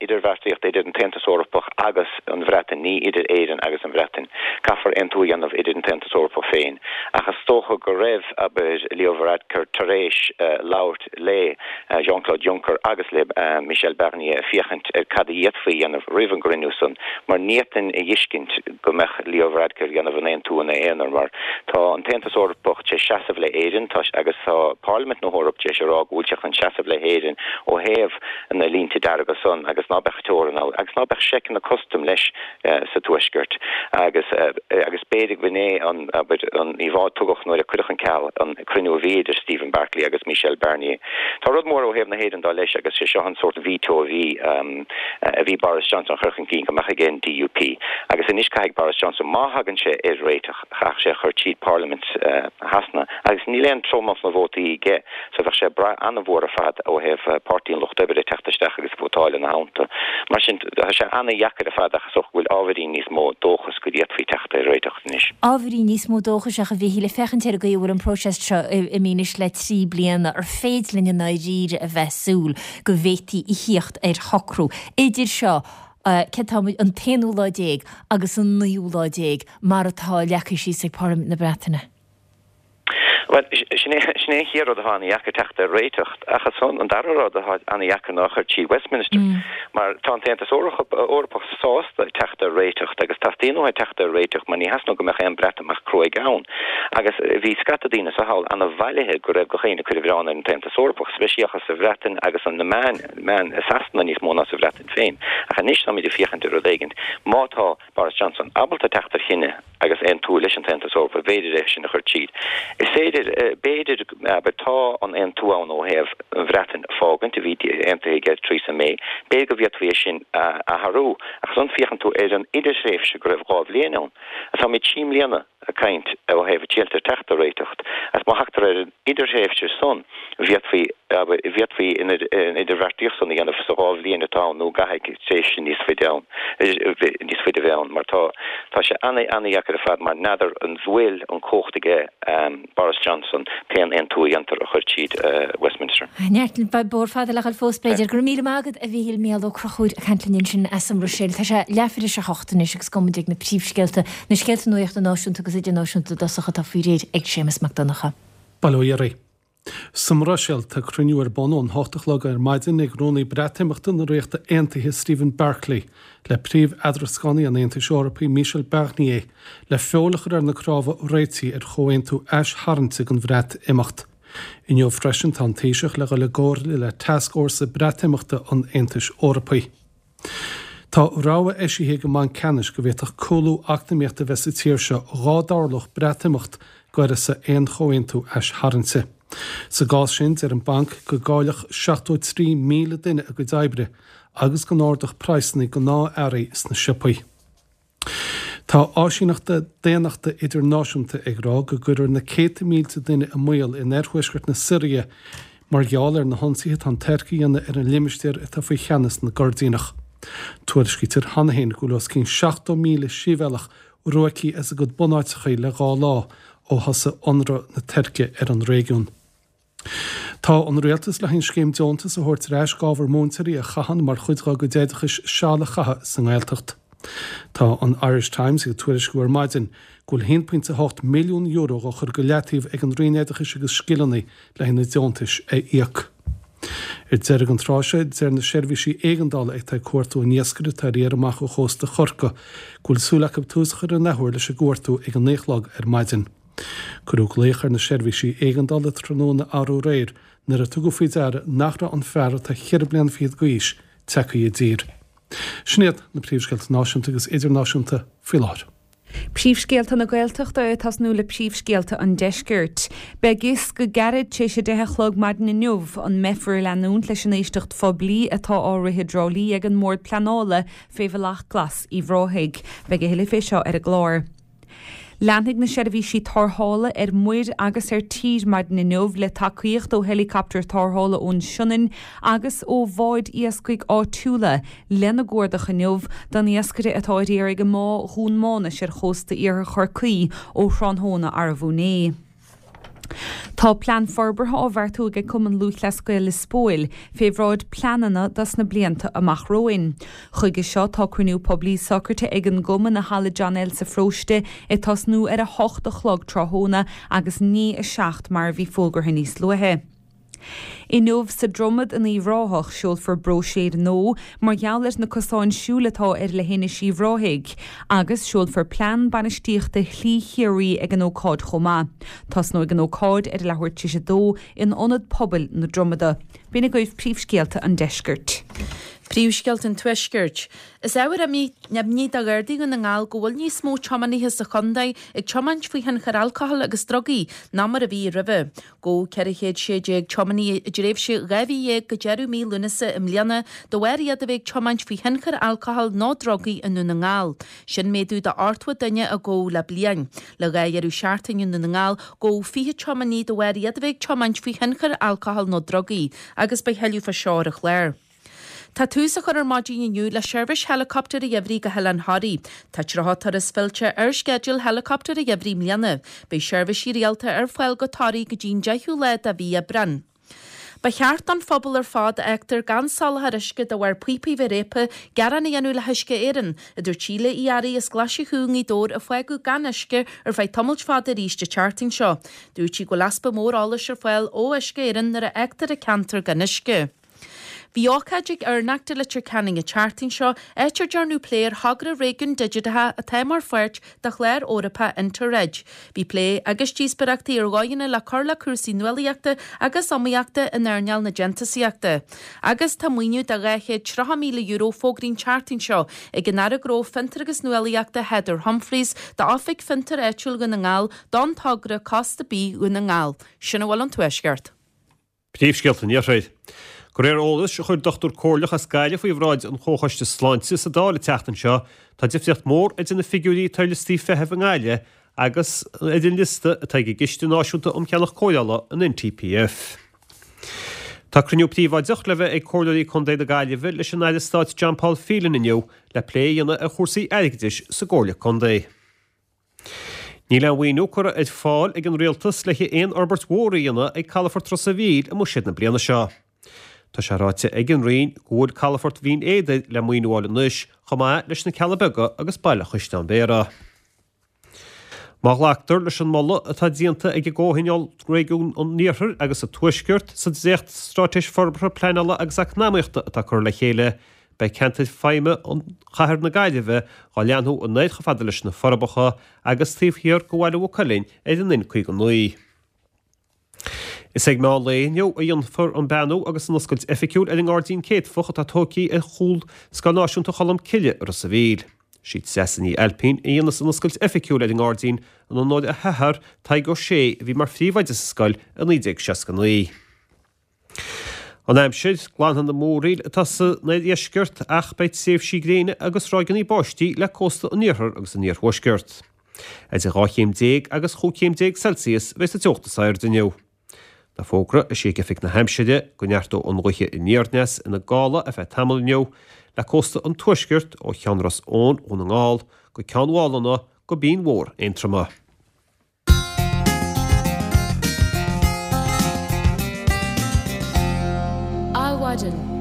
idirbheartaíocht idir an tAontas Eorpach agus an Bhreatain, ní idir Éirinn agus an Bhreatain. Caithfear aontú a dhéanamh idir an tAontas Eorpach féin. Ach is dócha go raibh, abair, Leo Varadkar tar éis labhairt le Jean-Claude Juncker agus le Michel Barnier féachaint ar cad a d'fhéadfaí a dhéanamh roimh an gcruinniú san, mar ní fhéadfainn a dh'fheiscint go mbeadh Leo Varadkar ag déanamh an aontú ina aonar mar tá an tAontas Eorpach tar éis seasamh le hÉirinn tá agus tá Parlaimint na hEorpa tar éis a rá go bhfuil sé chun seasamh le hÉirinn ó thaobh na línte dearga san agus ná beadh teorann ann agus ná beadh seiceanna custaim leis sa Tuaisceart agus agus b'fhéidir go b'in é an abair an íomhá a tugadh nuair a cuireadh ar ceal an cruinniú a bhí idir Stephen Barclay agus Michel Barnier. Tá rud mór ó thaobh na hÉireann dó leis agus sé seo an sórt veto a bhí a bhí Boris Johnson a chur chun cinn go mbeadh ag an DUP agus anois caithfidh Boris Johnson, má thagann sé ar réiteach, chaithfeadh sé a chur tríd Parlaimint Shasana agus níl aon tromlach na vótaí aige so bheadh sé ag brath an-mhór ar fad ó thaobh Páirtí an Lucht Oibre teacht isteach agus vótáil ina theannta. Mar sin tá sé an-dheacair ar fad ach is dócha go bhfuil ábhairín níos mó dóchas go bhféadfaí teacht ar réiteach anois. Ábhairín níos mó dóchais ach a Mhíchíl, ag féachaint ar an gcaoi a bhfuil an próiseas seo imithe anois le 3 bliana, ar féidir linn i ndáiríre a bheith ag súil go bhféadfaí a thíocht ar shocrú idir seo, céard tá muid, an t-aonú lá déag agus an naoú lá déag mar atá leagtha síos ag Parlaimint na Breataine. Bhuel, sin é an chéad rud atá ana-dheacair teacht ar réiteach, ach ansan an dara rud atá ana-dheacair ná a chur tríd Westminster. Mar tá an tAontas Eorpach sásta teacht ar réiteach agus teastaíonn uathu teacht ar réiteach mar ní theastaíonn go mbeadh aon Bhreatimeacht cruaidh ann. Agus bhí scata daoine so thall ana-bhailithe go raibh gach éinne ag cur an mhilleáin ar an tAontas Eorpach, speisialta sa Bhreatain agus na meáin, meáin i Sasana níos mó ná sa Bhreatain féin. Ach anois táimid ag féachaint ar rud éigint. Má tá Boris Johnson ábalta teacht ar chinneadh, agus aontú leis an tAontas Eorpach, b'fhéidir é sin a chur tríd. Is féidir, b'fhéidir, abair, tá an aontú ann ó thaobh an Bhreatain a fágaint, a bhí aontaithe ag Theresa May, b'fhéidir go bhféadfaí é sin a athrú. Ach ansan féachann tú ar an idirthréimhse go raibh 2 bhliain ann. Táimid 3 mbliana ag caint ó thaobh triailt ar teacht ar réiteach, agus má thagtar ar an idirthréimhse san, bhféadfaí, abair, bhféadfaí an idirbheartaíocht san a dhéanamh sa dhá bhliain atá ann nó an gcaithfidh tréimhse níos faide ann, níos faide a bheith ann mar tá, tá sé ana-ana-dheacair ar fad mar n'fheadar an bhfuil an cumhacht aige Boris Johnson pé an aontú a dhéantar a chur tríd Westminster. Neart, beidh bóthar fada le dhul fós b'fhéidir. Go raibh míle maith agat a Mhíchíl, Mícheál Ó Conchúir ag caint linn ansin as an mBruiséil. Tá sé leathuair tar éis a hocht anois agus gabhfaidh muid ag na príomhscéalta, na scéalta nuachta náisiúnta agus idirnáisiúnta i dtosach atá faoi réir ag Séamus Mac Donncha. Bail ó Dhia oraibh. Sa mBruiséil, tá cruinniú ar bun ón hocht a chlog ar maidin ag Rúnaí Breatimeachta na Ríochta Aontaithe Stephen Barclay le príomh-eadrascánaí an Aontais Eorpaigh Michel Barnier le feoil a chur ar na cnámha réitigh ar chomhaontú aistarraingte don Bhreatimeacht. Inniu freisin tá an Taoiseach le dhul i gcomhairle le Tascfhórsa Breatimeachta an Aontais Eorpaigh. Tá rabhadh eisithe ag an mBanc Ceannais go bhféadfadh cúlú eacnamaíochta a bheith sa tír seo dhá dtarlódh Breatimeacht d'uireasa aon chomhaontú aistarraingte. Sa gcás sin, deir an banc go gcaillfeadh 73,000 duine a gcuid oibre agus go n-ardódh praghsanna gnáth-earraí sna siopaí. Tá áisíneacht daonnachta idirnáisiúnta ag rá go gcuirfear na céadta mílte duine i mbaol in oirthuaisceart na Siria mar gheall ar na hionsaithe atá an Tuirc a dhéanamh ar an limistéar atá faoi cheannas na gCoirdíneach. Tuairiscítear cheana féin go bhfuil os cionn 70,000 sibhialtach ruaigthe as a gcuid bunáiteacha le dhá lá ó thosaigh ionradh na Tuirce ar an réigiún. Tá an Rialtas le haghaidh an scéim deontas a thabhairt ar ais d'ábhar múinteoirí a chaitheann mar chuid dá gcuid oideachais seal a chaitheamh sa nGaeltacht. Tá an Irish Times ag tuairisciú ar maidin go bhfuil €1.8 milliún dhá chur go leataobh ag an Roinn Oideachais agus Scileanna le haghaidh na deontais a íoc. Ar deireadh an tráth seo, deir na seirbhísí éigeandála atá ag cuartú an iascaire atá ar iarraidh amach ó chósta Chorcaí go bhfuil súil acu tús a chur an athuair leis an gcuartú ag an 9 a chlog ar maidin. Cuireadh glaoch ar na seirbhísí éigeandála tráthnóna arú aréir nuair a tugadh faoi deara nach raibh an fear atá cheithre bliana fichead d'aois tagtha i dtír. Sin iad na príomhscéalta náisiúnta agus idirnáisiúnta faoi láthair. Príomhscéalta na Gaeltachta ag tosnú le príomhscéalta an Deiscirt. Beidh fhios go gairid tar éis a deich a chlog maidin inniu an mbeifear ag leanúint leis an éisteacht phoiblí atá á rith i dTrá Lí ag an mBord Pleanála fé Bhealach Glas Uíbh Ráthaigh. Beidh a thuilleadh fé seo ar an gclár. Leanfaidh na seirbhísí tarrthála ar muir agus ar tír maidin inniu le tacaíocht ó heileacaptar tarrthála ón Sionainn agus ó bháid iascaigh áitiúla lena gcuardach inniu don iascaire atá ar iarraidh i mBá Dhún Mánais ar chósta iarthar Chorcaí ó thráthnóna arbú inné. Tá plean forbartha á bheartú ag Cumann Lúthchleas Gael Lios Póil fé bhráid pleananna dos na blianta amach romhainn. Chuige seo tá cruinniú poiblí socraithe ag an gcumann i Halla John L sa pharóiste ag tosnú ar 8 a chlog tráthnóna agus ní 7 mar a bhí fógartha níos luaithe. Inniu sa Dromad in Uíbh Ráthach, seolfar bróiséir nua mar gheall ar na cosáin siúil atá ar leithinis Uíbh Ráthaigh, agus seolfar plean bainistíochta Shlí Chiarraí ag an ócáid chomh maith. Tosnóidh an ócáid ar a leathuair tar éis a dó in Ionad Pobail na Dromada. B'in agaibh príomhscéalta an deiscirt. Príomhscéalta an Tuaiscirt. Is ábhar imní do Ghardaí Dhún na nGall go bhfuil níos mó tiománaithe sa chontae ag tiomáint faoi thionchar alcohol agus drugaí ná mar a bhí roimhe. Gabhadh 416 tiománaí i dtréimhse 12 mhí go deireadh mí Lúnasa i mbliana de bharr iad a bheith ag tiomáint faoi thionchar alcohol nó drugaí i nDún na nGall. Sin méadú de 80 duine a gabhadh le bliain. Le dhá dheireadh seachtaine i nDún na nGall, gabhadh 20 tiománaí de bharr iad a bheith ag tiomáint faoi thionchar alcohol nó drugaí agus beidh thuilleadh fá seo ar an chlár. Tá tús á chur ar maidin inniu le seirbhís heileacoptair an gheimhridh go hOileán Thoraí. Tá 30 turas fillte ar sceideal heileacoptair an gheimhridh i mbliana. Beidh seirbhísí rialta ar fáil go Toraigh go dtí'n 10ú lá de mhí Aibreán. Ba cheart don phobal ar fad a fhágtar gan soláthar uisce de bharr píopaí bheith réabtha gearán a dhéanamh le hUisce Éireann, a dúirt Síle Uí Fhearraigh as Glaise Chú i nGaoth Dobhair a fágadh gan uisce ar feadh tamaill fada arís an tseachtain seo. Dúirt sí go bhfuil easpa mór eolais ar fáil ó Uisce Éireann nuair a fhágtar an ceantar gan uisce. Bhí ócáid ag EirNaCT i Leitir Ceanainn an tseachtain seo, áit ar dearnadh plé ar thogra réigiún digiteach atá mar pháirt de chlár Eorpach Interreg. Bhí plé agus díospóireachtaí ar dhóigheanna le cur le cúrsaí nuálaíochta agus iomaíochta in earnáil na déantúsaíochta. Agus tá maoiniú de €230,000 fógraithe an tseachtain seo ag an Aire Gnó, Fiontar agus Nuálaíochta Heather Humphreys d'Oifig Fiontair Áitiúil Dhún na nGall don togra Cósta Bídh Dhún na nGall. Sin a bhfuil ón Tuaisceart. Príomhscéalta an Iarthair. De réir eolais a chuir dochtúir comhairleach as Gaillimh faoi bhráid an Chomhchoiste Sláinte sa Dáil an tseachtain seo, tá difríocht mhór idir na figiúirí atá ar liostaí feithimh i nGaillimh agus ar an liosta atá ag an gCiste Náisiúnta um Cheannach Cóireála, an NTPF. Tá cruinniú príobháideach le bheith ag Comhairleoirí Contae na Gaillimhe leis an Aire Stáit John Paul Phelan inniu le plé a dhéanamh ar chúrsaí airgeadais sa gComhairle Contae. Níl aon mhaoiniú curtha ar fáil ag an Rialtas le haghaidh aon fhorbairt mhór a dhéanamh ag calafort Ros a' Mhíl i mbuiséad na bliana seo. Tá sé ráite ag an Roinn go bhfuil calafort Bhinn Éadair le maoiniú a fháil anois, chomh maith leis na Cealla Beaga agus Baile Chaisleáin Bhéarra. Má ghlactar leis an moladh atá déanta ag an gComhthionól Réigiún an Iarthair agus an Tuaiscirt sa dréacht-Straitéis Forbartha Pleanála agus Eacnamaíochta atá curtha le chéile, Beidh ceantar feidhme Chathair na Gaillimhe dhá leathnú anoir chomh fada leis na Forbacha agus taobh thiar de Bhaile Mhaigh Cuilinn ar an N59. Is ag meán lae inniu a dhéanfar an beannú agus an oscailt oifigiúil ar an nGairdín Céadfach atá tógtha ar chúl Scoil Náisiúnta Cholm Cille i Ros a' Mhíl. Sí Treasa Ní Ailpín a dhéanfas an oscailt oifigiúil ar an ngairdín in onóir a hathar, Tadhg Ó Sé, a bhí mar phríomhoide sa scoil i 1969. An aimsir, Glanfaidh na múraíl atá san oirdheisceart ach beidh tréimhsí gréine agus ráigeanna báistí le cósta an iarthair agus an iarthuaiscirt. Idir 12 chéim agus 15 chéim Celsius a bheidh sa teocht is airde inniu. Tá fógra eisithe ag Oifig na hAimsire go neartóidh an ghaoth aniar-aneas ina gála ar feadh tamaill inniu le cósta an tuaiscirt ó Cheann Ros Eoin, Dhún na nGall, go Ceann Mhálanna go Binn Mhór, Aontroma. Adhmhaidin.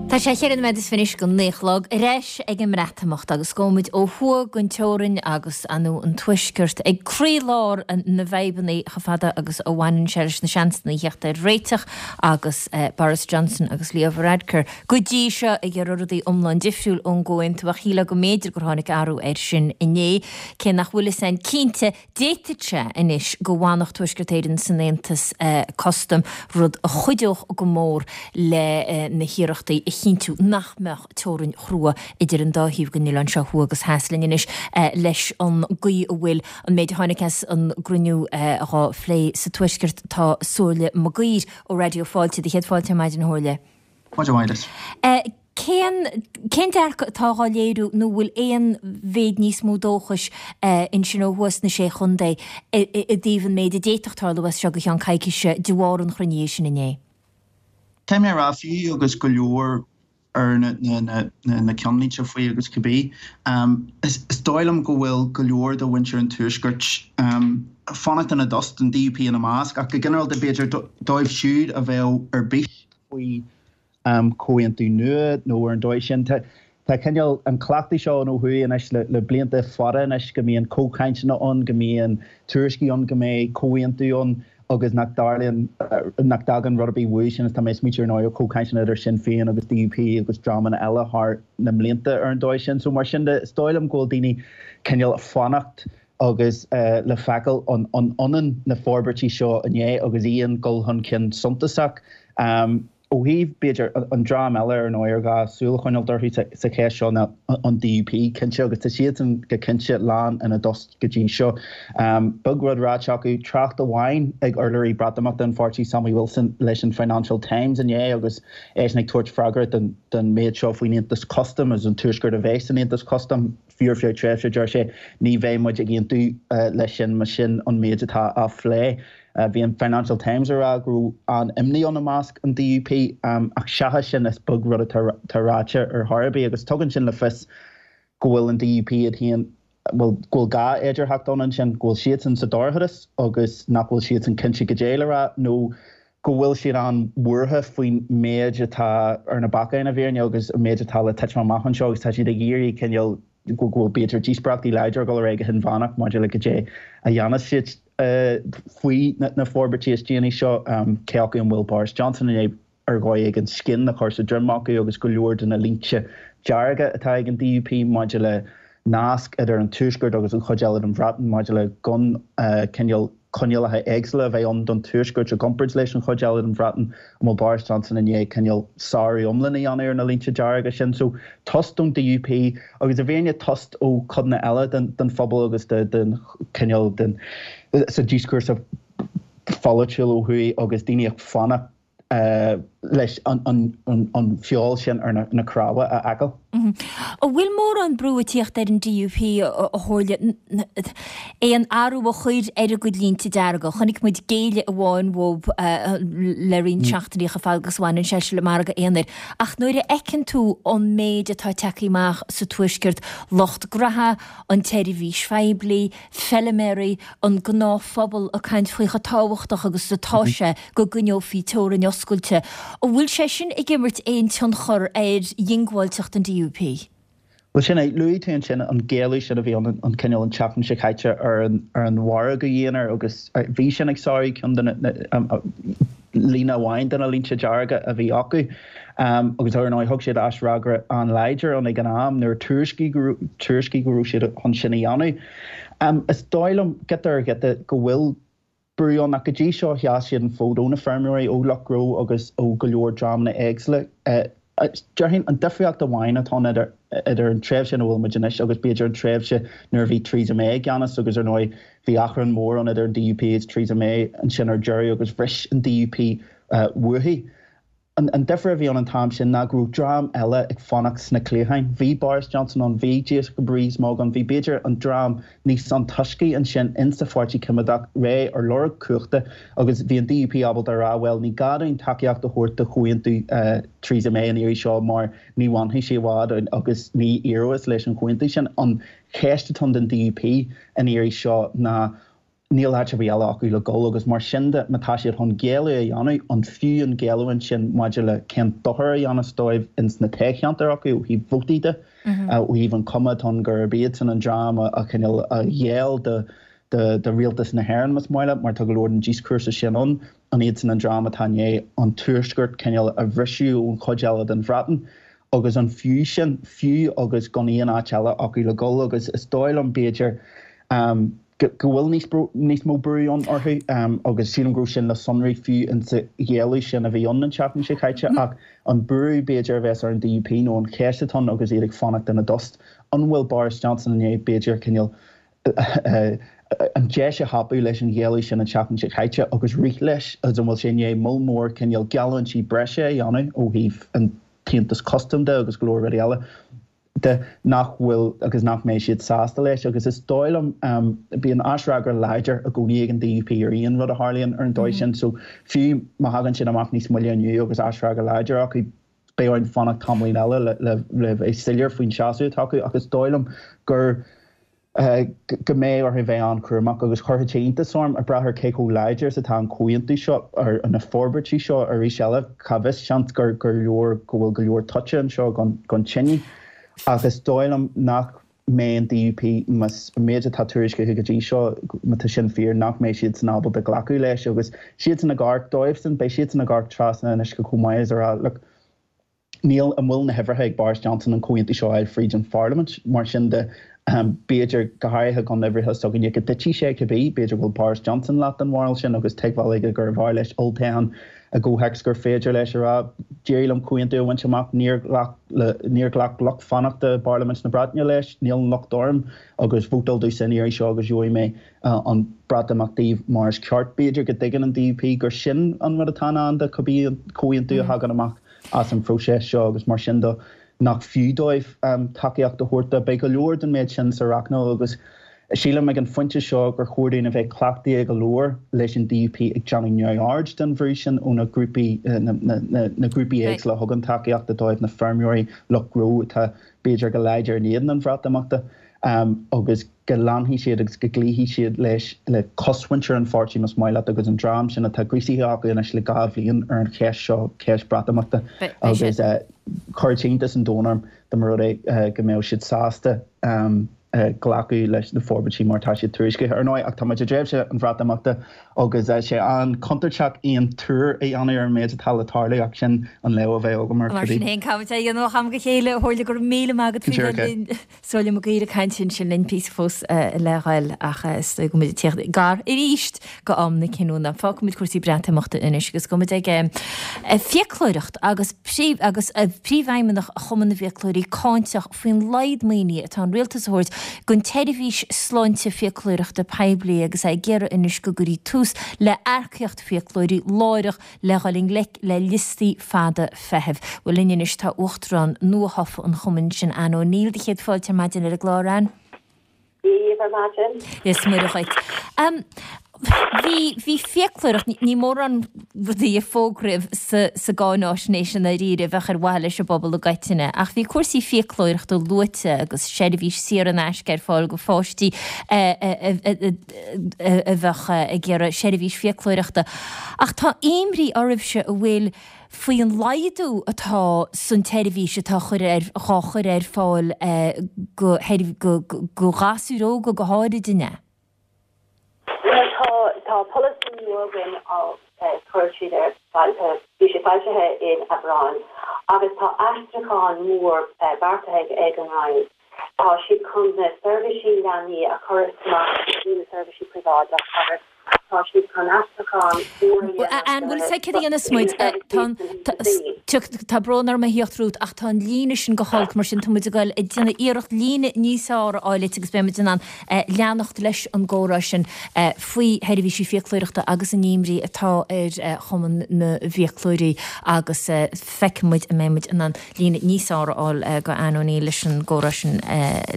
Tá sé cheithre nóiméad is fiche anois go naoi a chlog ar ais ag an mBreatimeacht agus gabhfaimid ó thuaidh den teorainn agus ar ndóigh an Tuaisceart ag croílár na bhfadhbanna chomh fada agus a bhaineann sé leis na seansanna a theacht ar réiteach agus Boris Johnson agus Leo Varadkar go dtí seo ag iarraidh rudaí iomlán difriúil ón gcomhaontú ach shílfeá go mb'fhéidir gur tháinig athrú air sin inné. Cé nach bhfuil fhios a'inn cinnte, d'fhéadfadh sé anois go bhfanfadh Tuaisceart Éireann san Aontas Custaim, rud a chuideodh go mór le na hiarrachtaí a chinntiú nach mbeadh teorainn chrua idir an dá thaobh den oileán seo, thuaidh agus theas. Linn anois leis an gcaoi a bhfuil an méid a tháinig as an gcruinniú dhá phlé sa Tuaisceart tá Somhairle Mag Uidhir ó Raidió Fáilte. Do chéad fáilte ar maidin, a Shomhairle. Maidin mhaith duit. Cén, cén dearcadh atá dhá léiriú nó bhfuil aon mhéid níos mó dóchais ansin ó thuaidh sna Sé Chontae i dtaobh an méid a d'fhéadfadh tarlú as seo go ceann coicíse de bharr an chruinnithe sin inné? Tá mé a rá, fiú agus go leor ar na, na, na, na ceannlínte faoi agus cibé, is, is dóigh liom go bhfuil go leor de mhuintir an Tuaiscirt ag fanacht ina dtost, an DUP ina measc, ach go ginearálta b'fhéidir dóibh siúd a bheadh ar bís faoi comhaontú nua nó ar an dóigh sin. Tá cineál an cleachtadh seo ann ó thuaidh anois le blianta fada anois go mbíonn comhchainteanna ann, go mbíonn tuairiscí ann go mbeidh comhaontú ann agus nach dtarlaíonn, nach dtagann rud ar bith uaidh sin. Is tá mé ag smaointiú ar ndóigh ar chomhchainteanna idir Sinn Féin agus DUP agus dreamanna eile thar na mblianta ar an dóigh sin. So mar sin de, is dóigh liom go bhfuil daoine cineál ag fanacht agus le feiceáil an ionann na forbairtí seo inné agus aon dul chun cinn suntasach. Ó thaobh, b'fhéidir, an dream eile ar ndóigh ar gá súil a choinneáilt orthu sa cheist seo ná an DUP, cinnte, agus tá siadsan go cinnte lán ina dtost go dtí seo. Beag rud ráite acu, trácht amháin ag urlabhraí Breatimeachta an pháirtí, Sammy Wilson, leis an Financial Times inné agus eisean ag tabhairt freagra don méid seo faoin Aontas Custaim agus an Tuaisceart a bheith san Aontas Custaim. Fiú ar feadh tréimhse, deir sé, ní bheidh muid ag aontú leis sin más sin an méid atá á phlé. Bhí an Financial Times ag rá go raibh an-imní ann i measc an DUP ach seachas sin is beag rud atá ráite ar chor ar bith agus tugann sin le fios go bhfuil an DUP iad féin, bhuel, go bhfuil dhá fhéidearthacht ann ansin, go bhfuil siadsan sa dorchadas agus nach bhfuil siadsan cinnte goidé le rá nó. go bhfuil siad an-bhuartha faoin méid atá ar na bacáin i bhfírinne agus an méid atá le titim amach anseo agus tá siad ag iarraidh cineál go bhfuil b'fhéidir díospóireachtaí láidre ag dul ar aghaidh go hinmheánach maidir le goidé a dhéanfas siad faoi na forbairtí is déanaí seo, cé acu an bhfuil Boris Johnson i ndiaidh ar dhóigh éigin scian a chur sa droim acu agus go leor de na línte dearga atá ag an DUP maidir le nasc idir an Tuaisceart agus an chuid eile den Bhreatain maidir le gan cineál coinníollacha éagsúla a bheith ann don Tuaisceart i gcomparáid leis an chuid eile den Bhreatain, an bhfuil Boris Johnson i ndiaidh cineál sárú iomlán a dhéanamh ar na línte dearga sin. So, tost ón DUP agus i bhfírinne tost ó chodanna eile den phobal agus den chineál den sa díoscúrsa pholaitiúil ó thuaidh agus daoine ag fanacht leis an feoil sin ar na cnámha a fheiceáil. An bhfuil mórán brú ag tíocht ar an DUP, a Shomhairle, aon athrú a chur ar a gcuid línte dearga? Chonaic muid géilleadh amháin uathu le roinnt seachtainí chomh fada agus a bhaineann sé le margadh aonair. Ach nuair a fheiceann tú an méid atá tagtha amach sa Tuaisceart, lucht graithe, an tseirbhís phoiblí, feiliméaraí, an gnáthphobal ag caint faoi chomh tábhachtach agus atá sé go gcoinneofaí teorainn oscailte. An bhfuil sé sin ag imirt aon tionchar ar dhiongbháilteacht an DUP? Bhuel, sin é. Luaigh tú ansin an géilleadh sin a bhí ann an cineál an tseachtain seo caite ar an ar an mhargadh aonair agus bhí sin ag sárú ceann de na líne amháin de na línte dearga a bhí acu. Agus ar ndóigh thug siad aisfhreagra an-láidir ann ag an am nuair a tuairiscíodh go raibh siad chun sin a dhéanamh. Is dóigh liom, giota ar ghiota, go bhfuil brú ann ach go dtí seo sheas siad an fód ó na feirmeoirí, ó lucht gnó agus ó go leor dreamanna éagsúla. Déarfainn an difríocht amháin atá ann idir idir an tréimhse ina bhfuil muid anois agus b'fhéidir an tréimhse nuair a bhí Theresa May i gceannas agus ar ndóigh bhí achrann mór ann idir an DUP agus Theresa May ansin ar deireadh agus bhris an DUP uaithi. An difear a bhí ann an t-am sin ná go raibh dream eile ag fanacht sna cliatháin. Bhí Boris Johnson ann, bhí Jacob Rees-Mogg ann, bhí b'fhéidir an dream níos antoiscí ansin insa Pháirtí Coimeádach réidh ar lorg cumhachta agus bhí an DUP ábalta a rá bhuel ní gá dúinn tacaíocht a thabhairt do chomhaontú Theresa May an iarraidh seo mar ní bhainfidh sé i bhfad agus ní éireoidh leis an chomhaontú sin. An cheist atá ann don DUP an iarraidh seo ná Níl áit ar bith eile acu le dhul agus mar sin de, má tá siad chun géilleadh a dhéanamh, an fiú an géilleadh ansin maidir le cén dochar a dhéanfas dóibh ins na toghcheantair acu ó thaobh vótaí de, ó thaobh an cuma atá ann gurb iadsan an dream a chineál a ghéill do do rialtas na hÉireann más maith leat, mar tá go leor den díoscúrsa sin ann, an iadsan an dream atá i ndiaidh an Tuaisceart cineál a bhriseadh ón chuid eile den Bhreatain agus an fiú sin, fiú agus gan aon áit eile acu le dhul agus is dóigh liom b'fhéidir go bhfuil níos mó brú ann orthu agus sílim go raibh sin le sonrú fiú insa ghéilleadh sin a bhí ann an tseachtain seo caite ach an brú b'fhéidir a bheas ar an DUP nó an cheist atá ann agus iad ag fanacht ina dtost, an bhfuil Boris Johnson i ndiaidh b'fhéidir cineál an deis a thapú leis an ghéilleadh sin an tseachtain seo caite agus rith leis agus an bhfuil sé i ndiaidh moll mór cineál geallúintí breise a dhéanamh ó thaobh an t-aontas custaim de agus go leor rudaí eile. de nach bhfuil agus nach mbeidh siad sásta leis agus is dóigh liom, bíonn aisfhreagra láidir i gcónaí ag an DUP ar aon rud a tharlaíonn ar an dóigh sin so fiú má thagann siad amach níos moille inniu agus aisfhreagra láidir acu beidh orainn fanacht tamaillín eile le le bheith soiléir faoin seasamh atá acu ach is dóigh liom gur go mbeidh orthu bheith an-chúramach agus chuirfeadh sé iontas orm, ag brath ar cé chomh láidir is atá an comhaontú seo, ar na forbairtí seo arís eile, cá bhfios, seans gur go leor, go bhfuil go leor toite anseo don tine. Ach is dóigh liom nach mbeidh an DUP, más an méid atá tuairiscithe go dtí seo, má tá sin fíor, nach mbeidh siadsan ábalta glacadh leis agus siadsan ag amharc dóibhsan, beidh siadsan ag amharc trasna an uisce chomh maith is a rá, look, Níl, an bhfuil na huimhreacha ag Boris Johnson an comhaontú seo a fháil fríd an pharlaimint? Mar sin de, b'fhéidir, go háirithe gan uimhreacha s'againne, go dtitfidh sé cibé. B'fhéidir go bhfuil Boris Johnson leath den bharúil sin agus tuigbheáil aige gurbh fhearr leis olltoghchán i gcomhthéacs gur féidir leis a rá, d'éirigh liom comhaontú a bhaint amach, níor ghlac le, níor ghlac lucht fanachta i bParlaimint na Breataine leis, níl an locht orm agus vótáil domhsa an iarraidh seo agus gheobhaidh mé an Breatimeacht daoibh mar is ceart. B'fhéidir go dtuigeann an DUP gur sin an rud atá i ndán do cibé an comhaontú a thagann amach. as an phróiseas seo agus mar sin de nach fiú dóibh tacaíocht a thabhairt dó. Beidh go leor den méid sin sa roghnú agus sílim ag an phointe seo gur chóir dúinn a bheith cleachtaithe go leor leis an DUP ag déanamh neamhaird den bhrú sin ó na grúpaí na grúpaí éagsúla a thugann tacaíocht dóibh, na feirmeoirí, lucht gnó atá b'fhéidir go láidir in éadan an Bhreatimeachta agus. go leanfaidh siad agus go gcloífidh siad leis, le cosmhuintir an pháirtí más maith leat agus an dream sin atá gríosaithe acu anois le 2 bhliain ar an cheist seo, ceist Breatimeachta agus chuirfeadh iontas an domhain orm dá mba rud é go mbeadh siad sásta glacadh leis na forbairtí mar atá siad tuairiscithe. Ar ndóigh, ach tá muid i dtréimhse an Bhreatimeachta agus tá sé an-chontúirteach aon tuar a dhéanamh ar an méid atá le tarlú ach sin an léamh a bheadh agam air. Mar sin féin, caithfimid é a dhéanamh ó am go chéile, a Shomhairle, go raibh míle maith agat faoi bheith linn. Somhairle Mac Uidhir ag caint ansin linn píosa fós le ghoil ach is dóigh go bhfuil muid ag tíocht gar arís go am na cinniúna. Fágfaidh muid cúrsaí Breatimeachta anois agus gabhfaidh muid ag fiaclóireacht agus agus Príomhfheidhmeannach Chumann na bhFiaclóirí cáinteach faoin laghad maoinithe atá an rialtas a thabhairt don tseirbhís sláinte fiaclóireachta poiblí agus é ag iarraidh anois go gcuirfí tús le earcaíocht fiaclóirí láithreach le dhul i ngleic le liostaí fada feithimh. Bhuel linn anois tá Uachtarán nuathofa an chumainn sin, Anne O'Neill. Do chéad fáilte ar maidin ar an gclár, Anne. Dia daoibh ar maidin. Is Muire dhuit. Bhí, bhí fiaclóireacht, ní mórán rudaí a fógraíodh sa, sa gcáináisnéis i ndáiríre a bheadh ar mhaithe leis an bpobal i gcoitinne, ach bhí cúrsaí fiaclóireachta luaite agus seirbhís saor in aisce ar fáil go pháistí a, a, a, a, a bheadh ag iarraidh seirbhís fiaclóireachta. Ach tá imní oraibhse an bhfuil faoi an laghdú atá san tseirbhís atá dhá chur ar fáil go go ghasúir óga go háirid, an ea? Bhuel tá tá polasaí nua againn á chuir siad ar bhí sé foilsithe in Aibreán agus tá aistriúchán mór beartaithe ag an Roinn. Tá siad chun na seirbhísí leanaí a chur amach go dtí na seirbhísí príobháideach agus tá siad chun aistriúchán úr a dhéanamh Anne, bhfuil fhios agat céard a dhéanfas muid? Tá brón orm a thíocht romhat ach tá an líne sin go holc, mar sin tá muid ag dul ag déanamh iarracht líne níos fearr a fháil duit agus beidh muid in ann leanacht leis an gcomhrá sin faoi sheirbhísí fiaclóireachta agus an imní atá ar Chumann na bhFiaclóirí agus feicfidh muid an mbeidh muid in ann líne níos fearr a fháil go Anne O'Neill leis an gcomhrá sin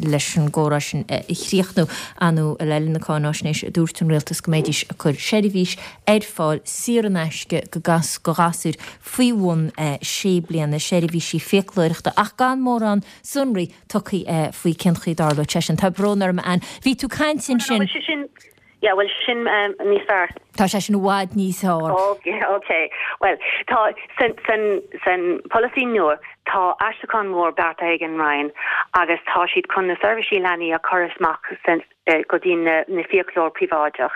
leis an gcomhrá sin a chríochnú. Ar ndóigh, le linn na cáináisnéise dúirt an rialtas go mbeidís ag cur seirbhís ar fáil saor in aisce go go ghasúir faoi bhun sé bliana, seirbhísí fiaclóireachta ach gan mórán sonraí tugtha faoi cén chaoi a dtarlóidh sé sin. Tá brón orm a Anne. Bhí tú ag caint ansin. Yeah, bhfuil sin níos fearr? Tá sé sin i bhfad níos fearr. Ok, ok. Bhuel, tá, san, san, san polasaí nua, tá aistriúchán mór beartaithe ag an Roinn agus tá siad chun na seirbhísí leanaí a chur amach san, go dtí na, na fiaclóir príobháideach.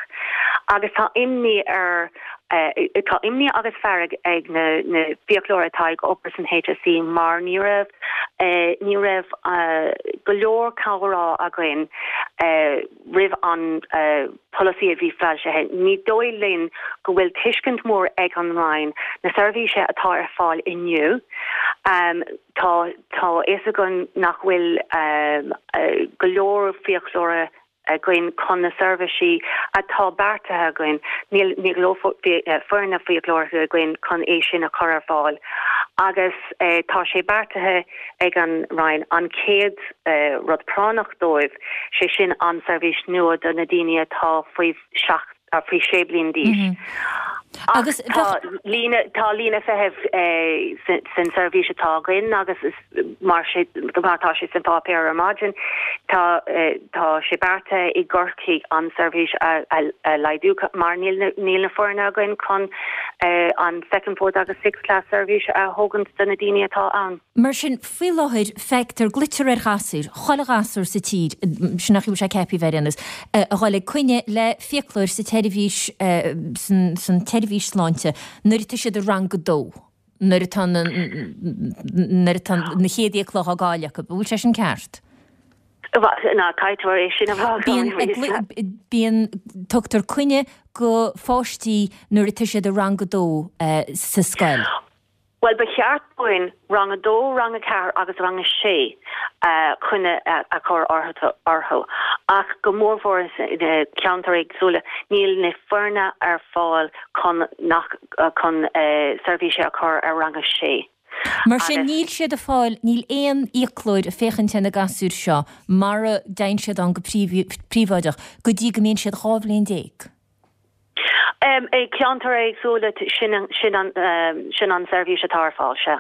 Agus tá imní ar, tá imní agus fearg ag na, na fiaclóir atá ag obair san HSE mar ní raibh, ní raibh go leor comhrá againn roimh an polasaí a bhí foilsithe. Ní dóigh linn go bhfuil tuiscint mór ag an Roinn na seirbhíse atá ar fáil inniu. Tá tá fhios againn nach bhfuil go leor fiaclóra againn chun na seirbhísí atá beartaithe againn. Níl níl go leor foirne fiaclóireachta againn chun é sin a chur ar fáil agus tá sé beartaithe ag an Roinn an chéad rud práinneach dóibh, sé sin an seirbhís nua do na daoine atá faoi sheacht, faoi 6 bliain d'aois. Ach tá líne, tá líne feithimh san seirbhís atá againn agus is mar sé, mar atá sé san pháipéar ar maidin, tá, tá sé beartaithe i gCorcaigh an seirbhís a, a laghdú mar níl na, níl na foirne againn chun an second, fourth agus sixth class seirbhís a thógaint do na daoine atá ann. Mar sin, faoi láthair, feictear, glaoitear ar ghasúir, chuile ghasúr sa tír, sin an chaoi a bhfuil sé ceaptha ar aon nós, a dhul ag coinne le fiaclóir sa tseirbhís, san tseirbhís sláinte nuair atá siad i rang a dó, nuair atá na, nuair atá na chéad fhiacla á gcailleadh acu. An bhfuil sé sin ceart? Ná caithfidh tú é sin a rá Bíonn, bíonn, tugtar coinne go pháistí nuair atá siad i rang a dó sa scoil. Bhuel, ba cheart dúinn rang a dó, rang a ceathair agus rang a sé coinne a chur orthu, ach go mórmhór sna ceantair éagsúla, níl na foirne ar fáil chun nach chun seirbhíse a chur ar rang a sé. Mar sin, níl siad ag fáil, níl aon fhiaclóir ag féachaint ar na gasúir seo mara dtéann siad ann go príobháideach go dtí go mbíonn siad 12 bhliain. I gceantair éagsúla, sin an seirbhís atá ar fáil, sea.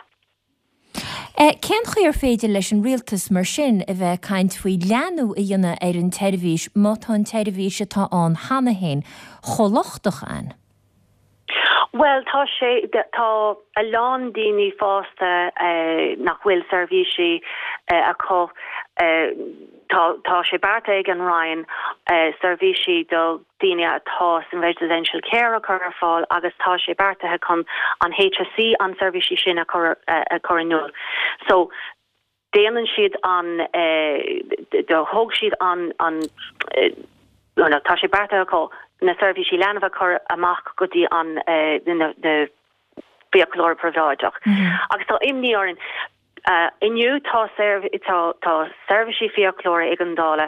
Cén chaoi ar féidir leis an rialtas mar sin a bheith ag caint faoi leathnú a dhéanamh ar an tseirbhís má tá an tseirbhís atá ann cheana féin chomh lochtach, Ann? Bhuel, tá sé, tá a lán daoine fásta nach bhfuil seirbhísí acu. Tá, tá sé beartaithe ag an Roinn seirbhísí do daoine atá san residential care a chur ar fáil agus tá sé beartaithe chun an HSE an seirbhísí sin a chur, a chur in iúl. So, déanann siad an, do thóg siad an, an, nó tá sé beartaithe acu na seirbhísí leanbh a chur amach go dtí an, na, na fiaclóirí príobháideach. Agus tá imní orainn. Inniu tá tá tá seirbhísí fiaclóra éigeandála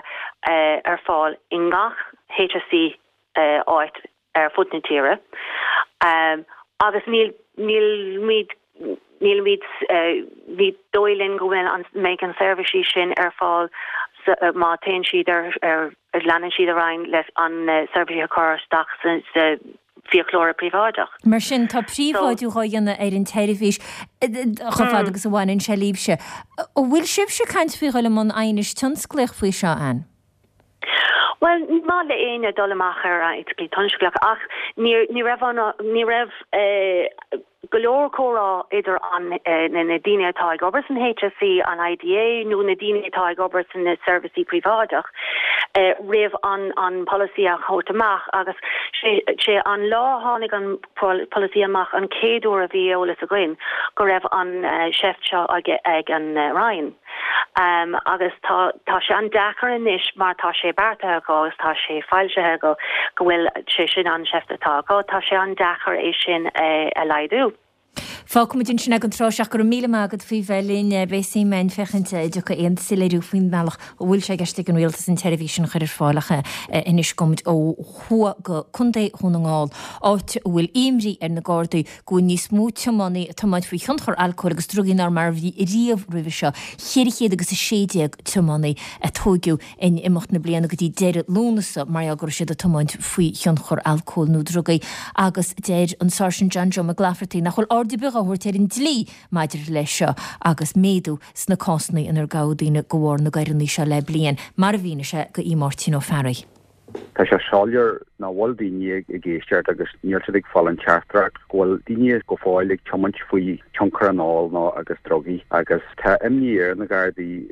ar fáil i ngach HSE áit ar fud na tíre agus níl nílimid nílimid ní dóigh linn go bhfuil an mbeidh an seirbhísí sin ar fáil má téann siad ar ar leanann siad ar aghaidh leis an seirbhísí a chur isteach sa sa fiaclóra príobháideach. Mar sin tá príobháidiú dhá dhéanamh ar an tseirbhís chomh fada agus a bhaineann sé libhse. An bhfuil sibhse ag caint faoi dhul i mbun aighnis tionsclaíoch faoi seo, Ann? Bhuel, ní maith le éinne dul amach ar aighneas tionsclaíoch ach ní ní raibh an ní raibh go leor comhrá idir an na daoine atá ag obair san HSE, an IDA nó na daoine atá ag obair sna seirbhísí príobháideach roimh an an polasaí a thabhairt amach agus sé sé an lá a tháinig an polasaí amach an chéad uair a bhí eolas againn go raibh an seift seo ag ag an Roinn. Agus tá, tá sé an-deacair anois mar tá sé beartaithe acu agus tá sé foilsithe acu go bhfuil sé sin an seift atá acu, tá sé an-deacair é sin a laghdú. Fágfaimid ansin é don tráth seo ach go raibh míle maith agat faoi bheith linn. Beidh suim againn féachaint an dtiocfaidh aon soiléiriú faoin mbealach a bhfuil sé i gceist ag an Rialtas an tseirbhís sin a chur ar fáil ach anois gabhfaimid ó thuaidh go Contae Dhún na nGall, áit a bhfuil imní ar na Gardaí go bhfuil níos mó tiománaí ag tiomáint faoi thionchar alcóil agus drugaí ná mar a bhí riamh roimhe seo, 400 agus 16 tiománaí a tóigeadh in imeacht na bliana go dtí deireadh Lúnasa mar gheall go raibh siad ag tiomáint faoi thionchar alcóil nó drugaí agus deir an Sáirsint John Joe McLafferty nach bhfuil aird ar bith á thabhairt ar an dlí maidir leis seo agus méadú sna cásanna inar gabhadh daoine de bharr na gcoireanna seo le bliain, mar a mhínigh sé do Aodh Máirtín Ó Fearraigh. Tá sé soiléir nach bhfuil daoine ag éisteacht agus níl siad ag fáil an teachtaireacht go bhfuil daoine go fóill ag tiomáint faoi tionchar an óil nó agus drugaí agus tá imní ar na Gardaí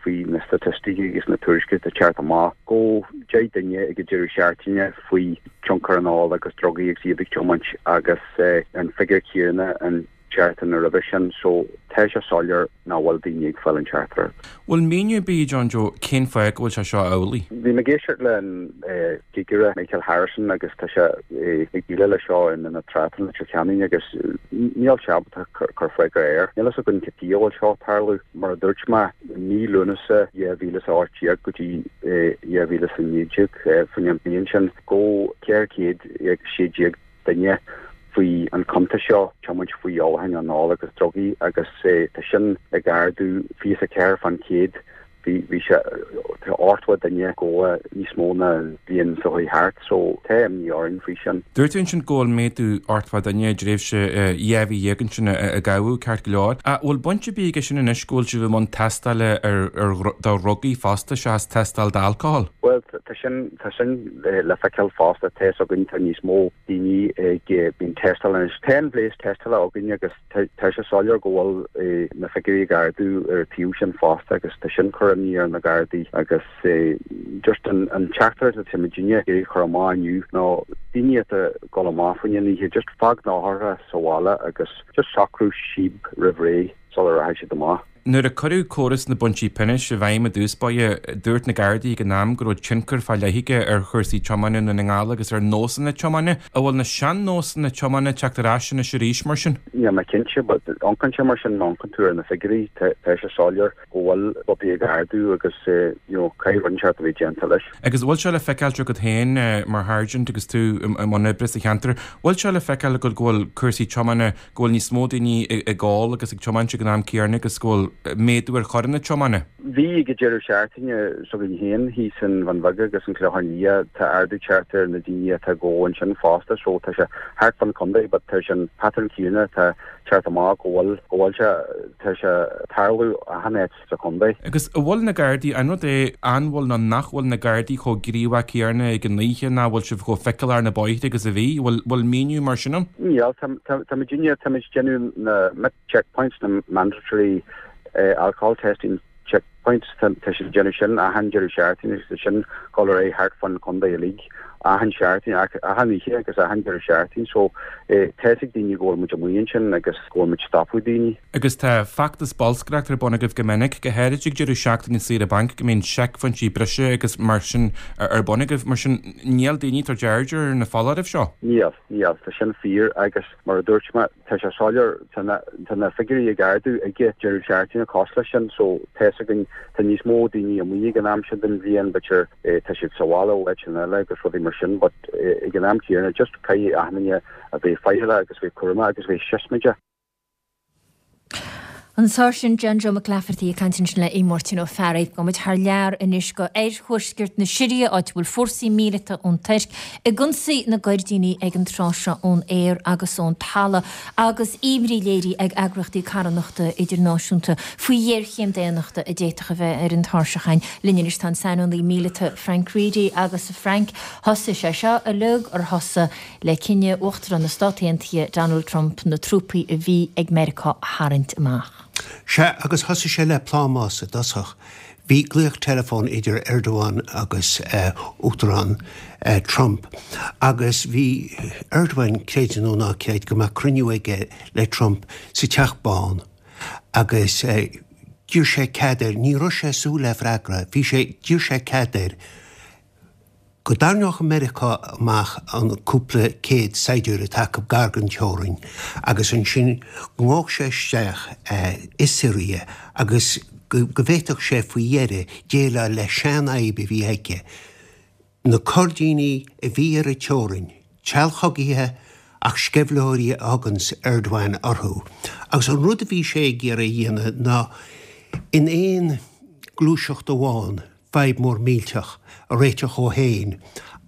faoi na staitisticí agus na tuairiscí atá ag teacht amach go 10 duine ag an deireadh seachtaine faoi tionchar an óil agus drugaí agus iad ag tiomáint agus an figiúr céanna an tseachtain roimhe sin so tá sé soiléir nach bhfuil daoine ag fáil an teachtaireacht. Bhfuil míniú ar bith ag John Joe cén fáth go bhfuil sé seo amhlaidh? Bhí mé ag éisteacht le an cigire Michael Harrison agus tá sé ag déileáil leis seo i mBinn Átha i Leitir Ceanainn agus níl sé ábalta cur freagra air. Níl fhios againn cad chuige a bhfuil seo ag tarlú. Mar a dúirt mé, mí Lúnasa 2018 go dtí 2019, faoin an bliain sin, go 416 duine faoi an chuntas seo, tiomáint faoi thionchar an óil agus drugaí agus tá sin ag ardú 24 fán chéad. Bhí, bhí sé, tá 80 duine gafa níos mó ná an bhliain seo chuaigh thart so tá imní orainn faoi sin. Dúirt tú ansin go bhfuil méadú 80 duine i dtréimhse 12 mhí ansin a gabhadh, ceart go leor. Ach bhfuil baint ar bith aige sin anois go bhfuil sibh i mbun tástála ar, ar, do dhrugaí fosta seachas tástáil d'alcóhol? Bhuel, tá sin, tá sin le feiceáil fosta, tá fhios againn tá níos mó daoine ag bíonn tástáil anois. Tá an bhléas tástála againn agus tá sé soiléir go bhfuil na figiúirí ag ardú ar an taobh sin fosta agus tá sin cur imní ar na Gardaí agus just an teachtaireacht atá muidinne ag iarraidh a chur amach inniu ná daoine atá ag dul amach faoin oíche just fág na heochracha sa bhaile agus just socrú síob roimh ré sula rachaidh siad amach. Nuair a cuireadh córas na bpointí pionóis i bhfeidhm i dtús báire, dúirt na Gardaí ag an am go raibh tionchar fá leith aige ar chúrsaí tiomána i nDún na nGall agus ar nósanna tiomána. An bhfuil na sean-nósanna tiomána ag teacht ar ais anois arís mar sin? Níl mé cinnte, but amharcann sé mar sin má amharcann tú ar na figiúirí, tá sé soiléir go bhfuil rudaí ag ardú agus you know caithfidh rud inteacht a bheith déanta leis. Agus bhfuil sé le feiceáilt agat féin mar sháirsint agus tú i mbun oibre sa cheantar, bhfuil sé le feiceáil agat go bhfuil cúrsaí tiomána go bhfuil níos mó daoine ag ól agus ag tiomáint ag an am céanna agus go bhfuil méadú ar choireanna tiomána. Bhí ag an deireadh seachtaine s'againn féin thíos in Bhun Bheag agus an Clochán Liath, tá ardú teacht ar na daoine atá ag ól ansin fosta so tá sé thart fán chontae but tá sé an pattern céanna, tá. teacht amach go bhfuil, go bhfuil sé, tá sé ag tarlú achan áit sa chontae. Agus an bhfuil na Gardaí, an rud é, an bhfuil nó nach bhfuil na Gardaí chomh gníomhach céanna ag an oíche, nach bhfuil sibh chomh feiceálach ar na bóithre agus a bhí? Bhfuil, bhfuil míniú mar sin ann? Níl, tá, tá, tá muidinne, táimid ag déanamh na checkpoints, na mandatory alcohol testing checkpoints, tá siad ag déanamh sin achan deireadh seachtaine agus tá sin ag dul ar aghaidh thart fán chontae uilig achan seachtain, achan oíche agus achan deireadh seachtaine so tá fhios ag daoine go bhfuil muid amuigh ansin agus go bhfuil muid ag stopadh daoine. Agus tá feachtas bolscaireachta ar bun agaibh go minic, go háirid ag deireadh seachtaine saoire bainc go mbíonn seicphointí breise agus mar sin ar bun agaibh, mar sin níl daoine ag tabhairt aird ar na foláirimh seo? Níl, níl, tá sin fíor agus mar a dúirt mé, Tá sé soiléir, tá na figiúirí ag ardú ag an deireadh seachtaine cosúil leis sin, so tá fhios againn, tá níos mó daoine amuigh ag an am sin den bhliain, b'fhéidir tá siad sa bhaile ó áiteanna eile agus rudaí mar sin, but ag an am céanna, just caithfidh achan duine a bheith faichilleach agus bheith cúramach agus bheith siosmaideach. An Sáirsint John Joe Mac Laifeartaigh ag caint ansin le Aodh Máirtín Ó Fearraigh. Gabhfaidh muid thar lear anois go oirthuaisceart na Siria, áit a bhfuil fórsaí míleata ón Tuirc ag ionsaí na gCoirdíní ag an tráth seo ón aer agus ón talamh, agus imní léirithe ag eagraíochtaí carthanachta idirnáisiúnta faoi ghéarchéim daonnachta a d'fhéadfadh a bheith ar an tairseach againn. Linn anois tá an saineolaí míleata Frank Reidy agus a Frank, thosaigh sé seo uilig ar thosaigh le cinneadh Uachtarán na Stát Aontaithe Donald Trump na trúpaí a bhí ag Meiriceá a tharraingt amach. Sea, agus thosaigh sé le plámás i dtosach. Bhí glaoch teileafóin idir Erdogan agus Uachtarán Trump agus bhí Erdogan, creid nó ná creid, go mbeadh cruinniú aige le Trump sa Teach Bán agus d'iarr sé cead air, ní raibh sé ag súil le freagra, bhí sé, d'iarr sé cead air go dtarraingeodh Meiriceá amach an cúpla céad saighdiúir atá acu gar don teorainn agus ansin go ngabhfadh sé isteach i Siria agus go bhféadfadh sé faoi dheireadh déileáil le seanfhadhb a bhí aige, na Coirdínigh a bhí ar an teorainn, treallchogaithe ach sceimhlitheoirí a thuganns Erdogan orthu. Agus an rud a bhí sé ag iarraidh a dhéanamh ná in aon gluaiseacht amháin, fadhb mór millteach a réiteach dhó féin,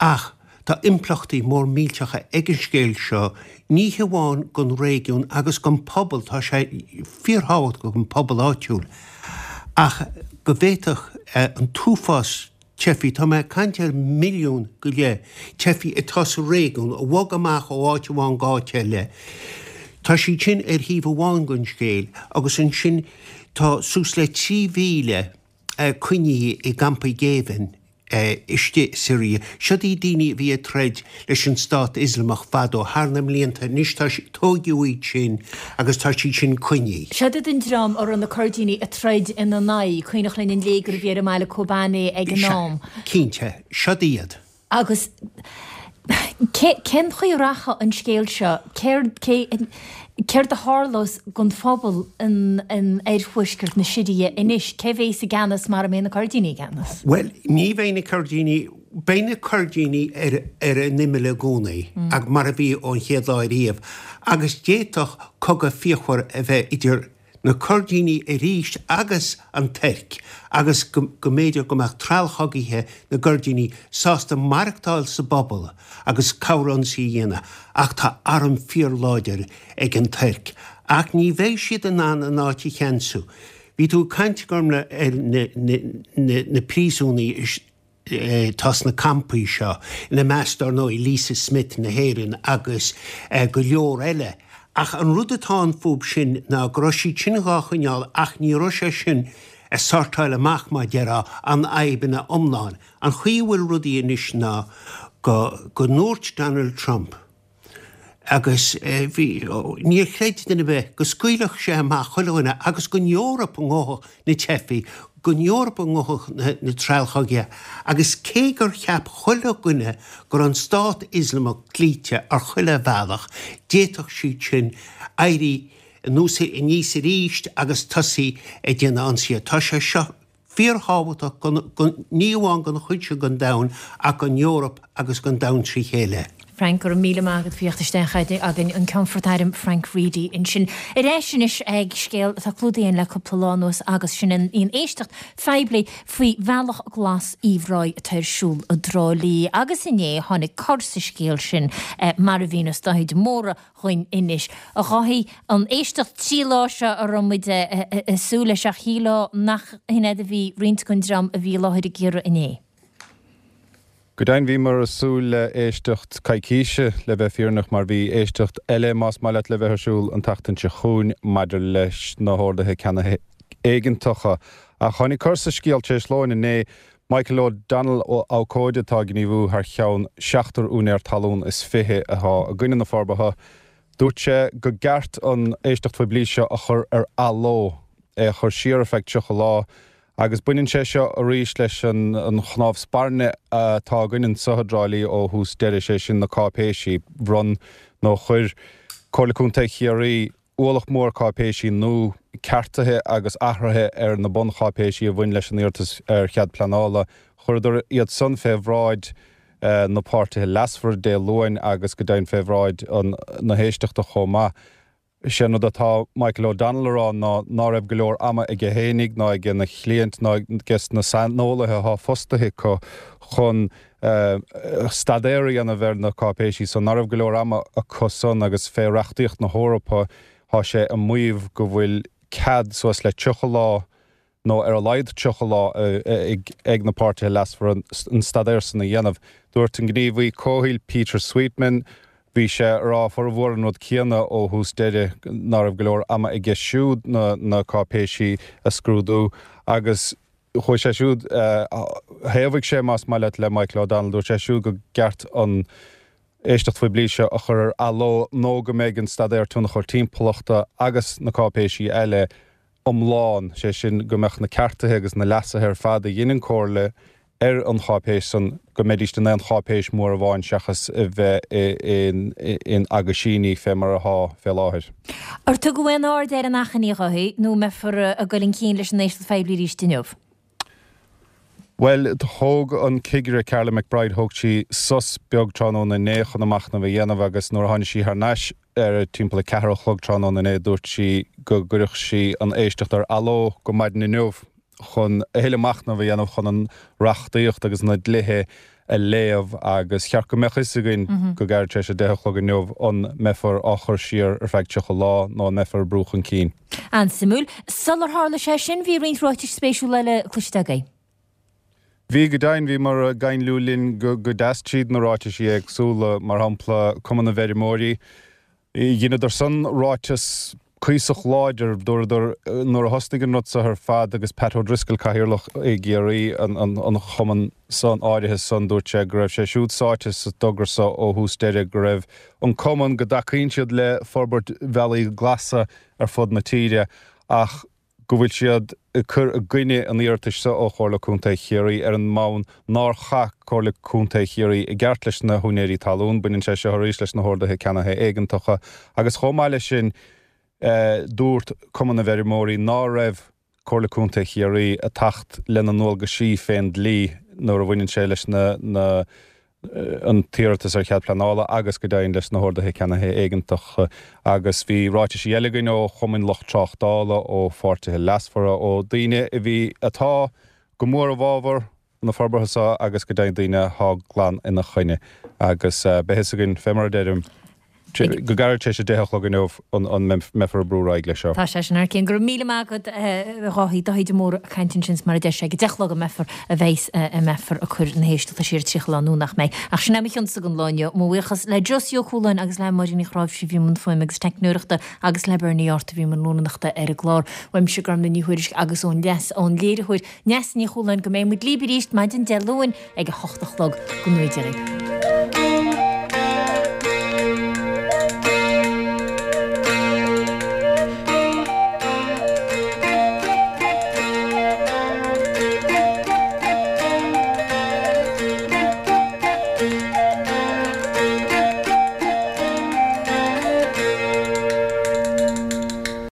ach tá impleachtaí mór millteacha ag an scéal seo, ní hamháin don réigiún agus don phobal, tá sé fíorthábhachtach don phobal áitiúil, ach go bhféadfadh an t-uafás teifigh, tá mé ag caint ar mhilliún go leith teifigh atá sa réigiún, a bhog amach ó áit amháin go áit eile, tá siad sin ar thaobh amháin den scéal, agus ansin tá suas le 3,000. coinnithe i gcampaí géibhinn istigh i Siria. Siod iad daoine a bhí ag troid leis an Stát Ioslamach fadó, thar na mblianta. Anois tá, tóigeadh iad sin agus tá siad sin coinnithe. Siod iad an dream a raibh na Coirdínigh ag troid ina n-aghaidh, cuimhneach linn an léigear a bhí ar an mbaile Kobane ag an am. Cinnte, siod iad. Agus cén chaoi a rachaidh an scéal seo? Céard, cé, céard a tharlós don phobal in, in oirthuaisceart na Siria anois? Cé bhéas i gceannas mara mbeidh na Coirdínigh i gceannas? Bhuel, ní bheidh na Coirdínigh, beidh na Coirdínigh ar, ar an imeall i gcónaí, mar a bhí ón chéad lá ariamh, agus d'fhéadfadh cogadh fíochmhar a bheith idir na Coirdínigh arís agus an Tuirc agus go mb'fhéidir go mbeadh treallchogaithe na gCoirdínigh sásta maireachtáil sa bpobal agus cabhair ionsaí a dhéanamh ach tá arm fíorláidir ag an Tuirc ach ní bheidh siad in ann an áit a cheansú. Bhí tú ag caint, Gormlaith, ar na príosúnaigh atá sna campaí seo, ina measc, dar ndóigh, Lisa Smith na hÉireann agus go leor eile. Ach an rud atá ann fúb sin ná go raibh siad sin dhá choinneáil ach ní raibh sé sin ag sortáil amach, mar déarfá, an fhadhb ina iomlán. An chaoi a bhfuil rudaí anois ná go go ndúirt Donald Trump, Agus bhí, níor chreid duine ar bith go scaoilfeadh sé amach chuile dhuine agus gon Eoraip a ngabhfadh na teifigh, gon Eoraip a ngabhfadh na treallchogaithe. Agus cé gur cheap chuile dhuine go raibh an Stát Ioslamach cloíte ar chuile bhealach, d'fhéadfadh siad sin éirí anuas aníos arís agus tosaí ag déanamh ionsaithe. Tá sé seo fíorthábhachtach ní amháin don chuid seo den domhan ach don Eoraip. agus don domhan trí chéile. Frank, Go raibh míle maith agat faoi theacht isteach againn, an Ceannfort Airm Frank Reidy ansin. Ar ais anois ag scéal atá clúdaithe againn le cúpla lá anuas agus sin an éisteacht phoiblí faoi Bhealach Glas Uíbh Ráthaigh atá ar siúl i dTrá Lí agus inné tháinig cor sa scéal sin mar a mhíneos Dáithí de Mórdha dhuinn anois. A Dháithí, an éisteacht 3 lá seo a raibh muid ag súil leis ach shílfeá nach shin é a bhí roinnt den dream a bhí i láthair ag iarraidh inné. Go deimhin bhíomar ag súil le éisteacht coicíse, le bheith fírinneach, mar bhí éisteacht eile, más maith leat, le bheith ar siúl an tseachtain seo chugainn maidir leis na horduithe ceannaithe éigeantacha. Ach tháinig cor sa scéal tar éis lóin inné. Michael O'Donnell, abhcóide atá ag gníomhú thar cheann seachtar úinéir talún is 20 atá i gcoinne na forbartha, dúirt sé go gceart an éisteacht phoiblí seo a chur ar athló, é a chur siar ar feadh 30 lá. Agus baineann sé seo arís leis an chnámh spairne atá againn anseo i dTrá Lí ó thús deireadh, sé sin na cáipéisí. Bhronn nó chuir Comhairle Contae Chiarraí ualach mór cáipéisí nua, ceartuithe agus athruithe ar na buncháipéisí a bhain leis an iarratas ar chead pleanála. Chuireadar iad san fé bhráid na páirtithe leasmhara Dé Luain agus go deimhin fé bhráid na héisteachta chomh maith. Sé an rud atá Michael O'Donnell a rá ná ná raibh go leor ama aige fhéinig ná aige na chliaint ná aige na saineolaithe atá fostaithe acu chun staidéar a dhéanamh ar na cáipéisí san, ná raibh go leor ama acu san agus fé reachtaíocht na hEorpa tá sé ag maíomh go bhfuil cead suas le 30 lá nó ar a laghad 30 lá ag na páirtithe leasmhara an staidéar san a dhéanamh. Dúirt an gníomhaí comhshaoil Peter Sweetman, bhí sé ag rá formhór an rud céanna ó thús deireadh, ná raibh go leor ama aige siúd na cáipéisí a scrúdú agus chuaigh sé siúd, thaobhaigh sé más maith leat le Michael O'Donnell, dúirt sé siúd go gceart an éisteacht phoiblí seo a chur ar athló nó go mbeidh an staidéar tionchair timpeallachta agus na cáipéisí eile iomlán, sé sin go mbeadh na ceartuithe agus na leasuithe ar fad a dhein an Comhairle ar an cháipéis san, go mbeidíst in aon cháipéis mhór amháin seachas a bheith in aguisíní fé mar athá fé láthair. Ar tugadh aon aird ar an achainí, a Dháithí, nó an mbeifear ag dul chun cinn leis an éisteacht phoiblí arís inniu? Bhuel, thóg an cigire Carla McBride, thóg sí sos beag tráthnóna inné chun a machnamh a dhéanamh agus nuair a tháinig sí thar n-ais ar timpeall a ceathair a chlog tráthnóna inné dúirt sí go gcuirfeadh sí an éisteacht ar athló go maidin inniu chun a thuilleadh machnaimh a dhéanamh chun an reachtaíocht agus na dlíthe a léamh agus cheart go mbeadh fhios againn go gairid tar éis a deich a chlog inniu an mbeifear á chur siar ar feadh 30 lá nó an mbeifear ag brú chun cinn. An-suimiúil. Sular tharla sé sin bhí roinnt ráitis spéisiúla eile cloiste agaibh. Bhí, go deimhin, bhíomar ag gainliú linn go deas tríd na ráitisí éagsúla, mar shampla Cumann na bhFeirmeoirí. Dheineadar san ráiteas cuíosach láidir, dúradar nuair a thosnaigh an rud seo ar fad agus Pat O'Driscoll, Cathaoirleach i gCiarraí an chumainn san áirithe san, dúirt sé go raibh sé siúd sáite sa dtogra seo ó thús deireadh, go raibh an cumann, go dtacaíonn siad le forbairt bhealaí glasa ar fud na tíre ach go bhfuil siad ag cur i gcoinne an iarratais seo ó Chomhairle Contae Chiarraí ar an mbonn nár chaith Comhairle Contae Chiarraí i gceart leis na húinéirí talún. Baineann sé seo arís leis na horduithe ceannaithe éigeantacha agus chomh maith leis sin dúirt Cumann na bhFeirmeoirí ná raibh Comhairle Contae Chiarraí ag teacht lena ndualgaisí fén dlí nuair a bhaineann sé leis na an t-iarratas ar chead pleanála agus go deimhin leis na horduithe ceannaithe éigeantacha agus bhí ráitisí eile againn ó chumainn lucht tráchtála, ó pháirtithe leasmhara, ó daoine a bhí, atá go mór i bhfabhar na forbartha seo agus go deimhin daoine atá glan ina choinne agus beidh fhios againn, fé mar a deirim. Go gairid tar éis a deich a chlog inniu an mbeifear ag brú ar aghaidh leis seo. Tá sé sin thar cionn. Go raibh míle maith agat a Dháithí, Dáithí de Mórdha ag caint ansin is mar a deir sé ag a deich a chlog a mbeifear a bheas a mbeifear ag cur na héisteachta siar 30 lá nó nach mbeidh. Ach sin é mo chionsa don lá inniu. Mo bhuíochas le Josie Ó Cualáin agus le Máirín Ní Chráimhsí a bhí i mbun fuaime agus teicneoireachta agus le Bernie Art a bhí i mbun rúnaireachta ar an gclár. Uaimse Gormlaith Ní Thuairisg agus ón leas ón léiritheoir Neasa Ní Chualáin go mbeidh muid libh arís maidin Dé Luain ag a hocht a chlog. Go ngnóthaí Dia dhaoibh.